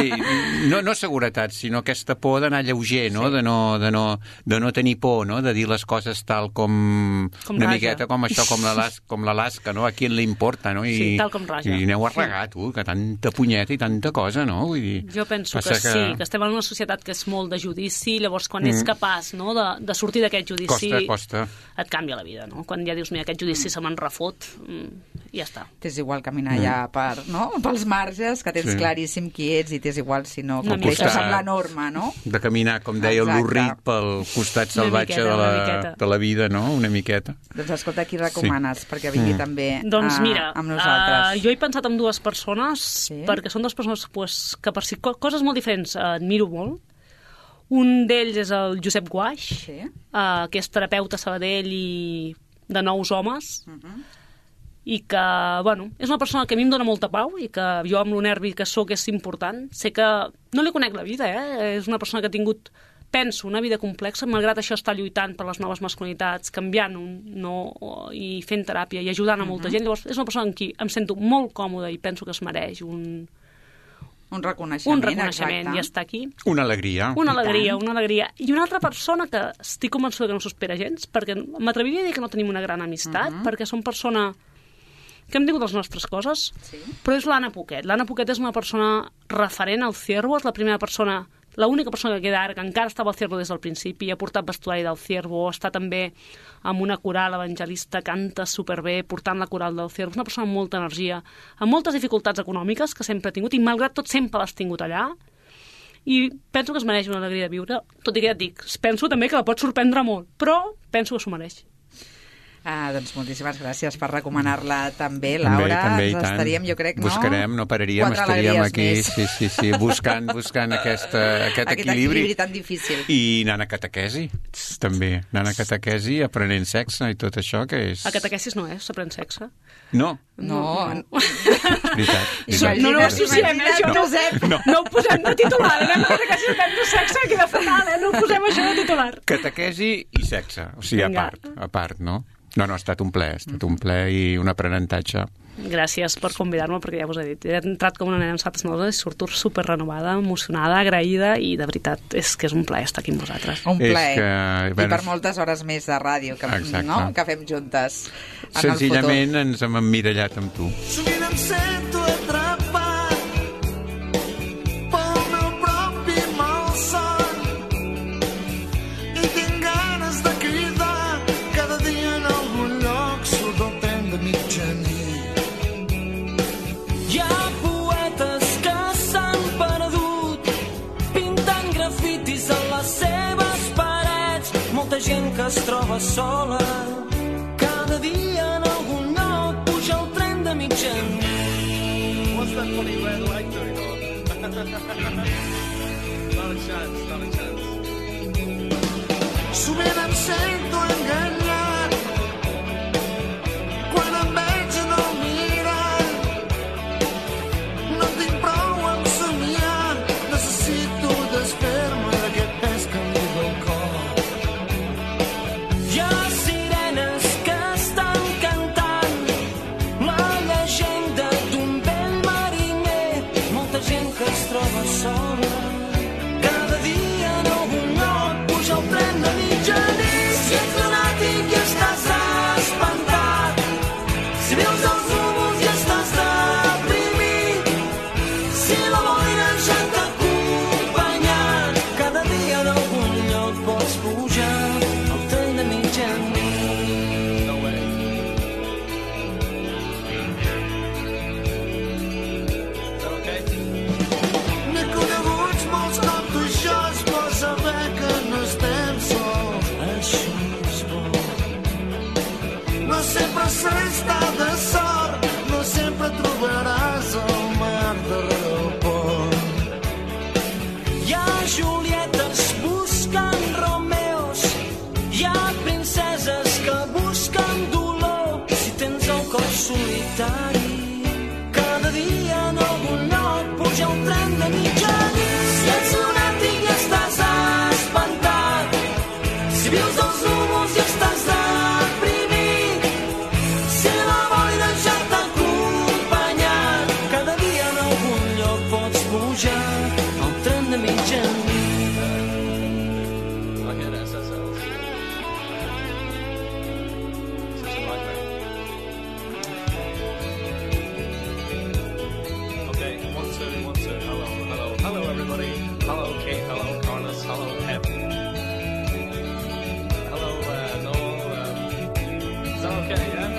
no, no seguretat, sinó aquesta por d'anar lleuger, no? Sí. De, no, de, no, de no tenir por, no? De dir les coses tal com... com una raja. Miqueta com això, com l'Alaska, com l'Alaska, no? A qui li importa, no? I, sí, tal com raja. I aneu a regar, tu, que tanta punyeta i tanta cosa, no? Vull dir, jo penso que, que sí, que estem en una societat que és molt de judici, llavors quan mm. ets capaç, no, de, de sortir d'aquest judici costa, costa. Et canvia la vida, no? Quan ja dius, mira, aquest judici mm. se me'n refot, mm, ja està. T'és igual caminar mm. ja per, no? pels marges, que tens sí. claríssim qui ets i t'és igual si no compleixes amb la norma, no? De caminar, com deia el Lurrit, pel costat salvatge miqueta, de, la, de la vida, no? Una miqueta. Doncs escolta, qui recomanes sí. perquè vingui mm. també doncs, a, mira, amb nosaltres? Uh, jo he pensat en dues persones, sí. perquè són dues persones pues, que per si coses molt diferents uh, admiro molt. Un d'ells és el Josep Guaix, sí. uh, que és terapeuta a Sabadell i de nous homes, uh-huh. i que, bueno, és una persona que a mi em dona molta pau i que jo amb lo nervi que sóc és important. Sé que no li conec la vida, eh? És una persona que ha tingut, penso, una vida complexa, malgrat això està lluitant per les noves masculinitats, canviant un, no, i fent teràpia i ajudant a molta uh-huh. gent. Llavors, és una persona amb qui em sento molt còmoda i penso que es mereix un... Un reconeixement, un reconeixement i està aquí. Una alegria. Una alegria, una alegria. I una altra persona que estic convençuda que no s'ho espera gens, perquè m'atreviria a dir que no tenim una gran amistat, uh-huh. perquè som persona que hem tingut les nostres coses, sí. però és l'Anna Poquet. L'Anna Poquet és una persona referent al Ciervo, és la primera persona, l'única persona que queda ara, que encara estava al Ciervo des del principi, ha portat vestuari del Ciervo, està també amb una coral evangelista, canta superbé, portant la coral del Ciervo. És una persona amb molta energia, amb moltes dificultats econòmiques que sempre ha tingut, i malgrat tot sempre l'has tingut allà, i penso que es mereix una alegria de viure, tot i que ja et dic, penso també que la pot sorprendre molt, però penso que s'ho mereix. Ah, doncs moltíssimes gràcies per recomanar-la també, Laura. També, també, ens estaríem, jo crec, no? Buscarem, no pararíem, Quatre estaríem aquí, més. sí, sí, sí, buscant, buscant aquesta, aquest, aquest equilibri. equilibri tan difícil. I anant a catequesi, també. Anant a catequesi, aprenent sexe i tot això, que és... A catequesis no és, s'aprèn sexe. No. No. no. Veritat. veritat. No, no ho associem, eh, això. No, no. no ho posem de titular, anem a catequesi, aprendre sexe, queda fatal, eh? No ho posem això de titular. Catequesi i sexe, o sigui, a part, a part, no? No, no, ha estat un ple, ha estat un ple i un aprenentatge gràcies per convidar-me, perquè ja us he dit, he entrat com una nena amb sabates noves i surto super renovada, emocionada, agraïda, i de veritat és que és un plaer estar aquí amb vosaltres. Un plaer. Que, I per moltes hores més de ràdio que, no? que fem juntes en el futur. Senzillament ens hem emmirallat amb tu. Sovint em sento atrapat pel meu propi malson i tinc ganes de cridar cada dia en algun lloc surt el tren de mitjanit. Hi ha poetes que s'han perdut pintant grafitis a les seves parets, molta gent que es troba sola cada dia en algun lloc puja el tren de mitjanit. What's that funny red light doing on? Not a chance, not a chance. Sovint em sento enganyat quan em veig en el mirall. No tinc prou amb somiar, necessito desfer-me d'aquest pes que em diu el cor. Hi ha sirenes que estan cantant la llegenda d'un vell mariner, molta gent que es troba sola cada dia en algun lloc puja el tren de mitjanit. Si ets lunàtic i estàs espantat, si veus els núvols i estàs deprimit, si la boira ja t'ha acompanyat, cada dia en algun lloc pots pujar el tren de mitjanit. No way. Is that okay? N'he coneguts molts com tu, això és bo saber que no estem sols. Això és bo. No sempre s'està de sort, no sempre trobaràs el mar darrere el pont. Hi ha Julietes buscant Romeos, hi ha princeses que busquen dolor. Si tens el cor solitari, cada dia en algun lloc puja el tren de mitjanit. Si ets lunàtic i estàs espantat, si vius dels núvols i estàs deprimit, si la boira ja t'ha acompanyat, cada dia en algun lloc pots pujar el tren de mitjanit. Okay, that's that's that's. Such a nightmare. Okay, one two one two. Hello, hello, hello, everybody. Hello, Kate. Hello, Carlos. Hello, Em. Hello, uh, Noel. Um, is that okay? Yeah.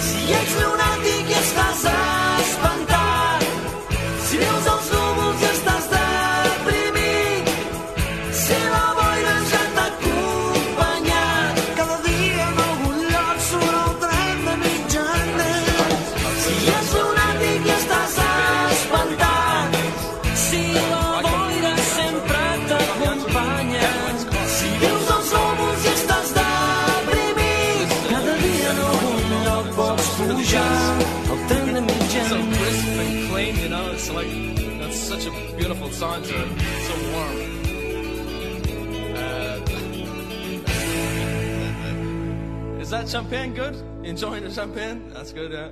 Si ets lunàtic i estàs espantat, si veus els núvols i estàs deprimit, si la boira ja t'ha acompanyat, cada dia en algun lloc surt el tren de mitjanit. Si ets lunàtic i estàs espantat, si la boira sempre t'acompanya, si veus els núvols i estàs deprimit, cada dia en algun lloc pots pujar el tren de So mitjanit. crisp and clean, you know. It's like that's such a beautiful song to it. So warm. Uh, is that champagne good? Enjoying the champagne? That's good, yeah.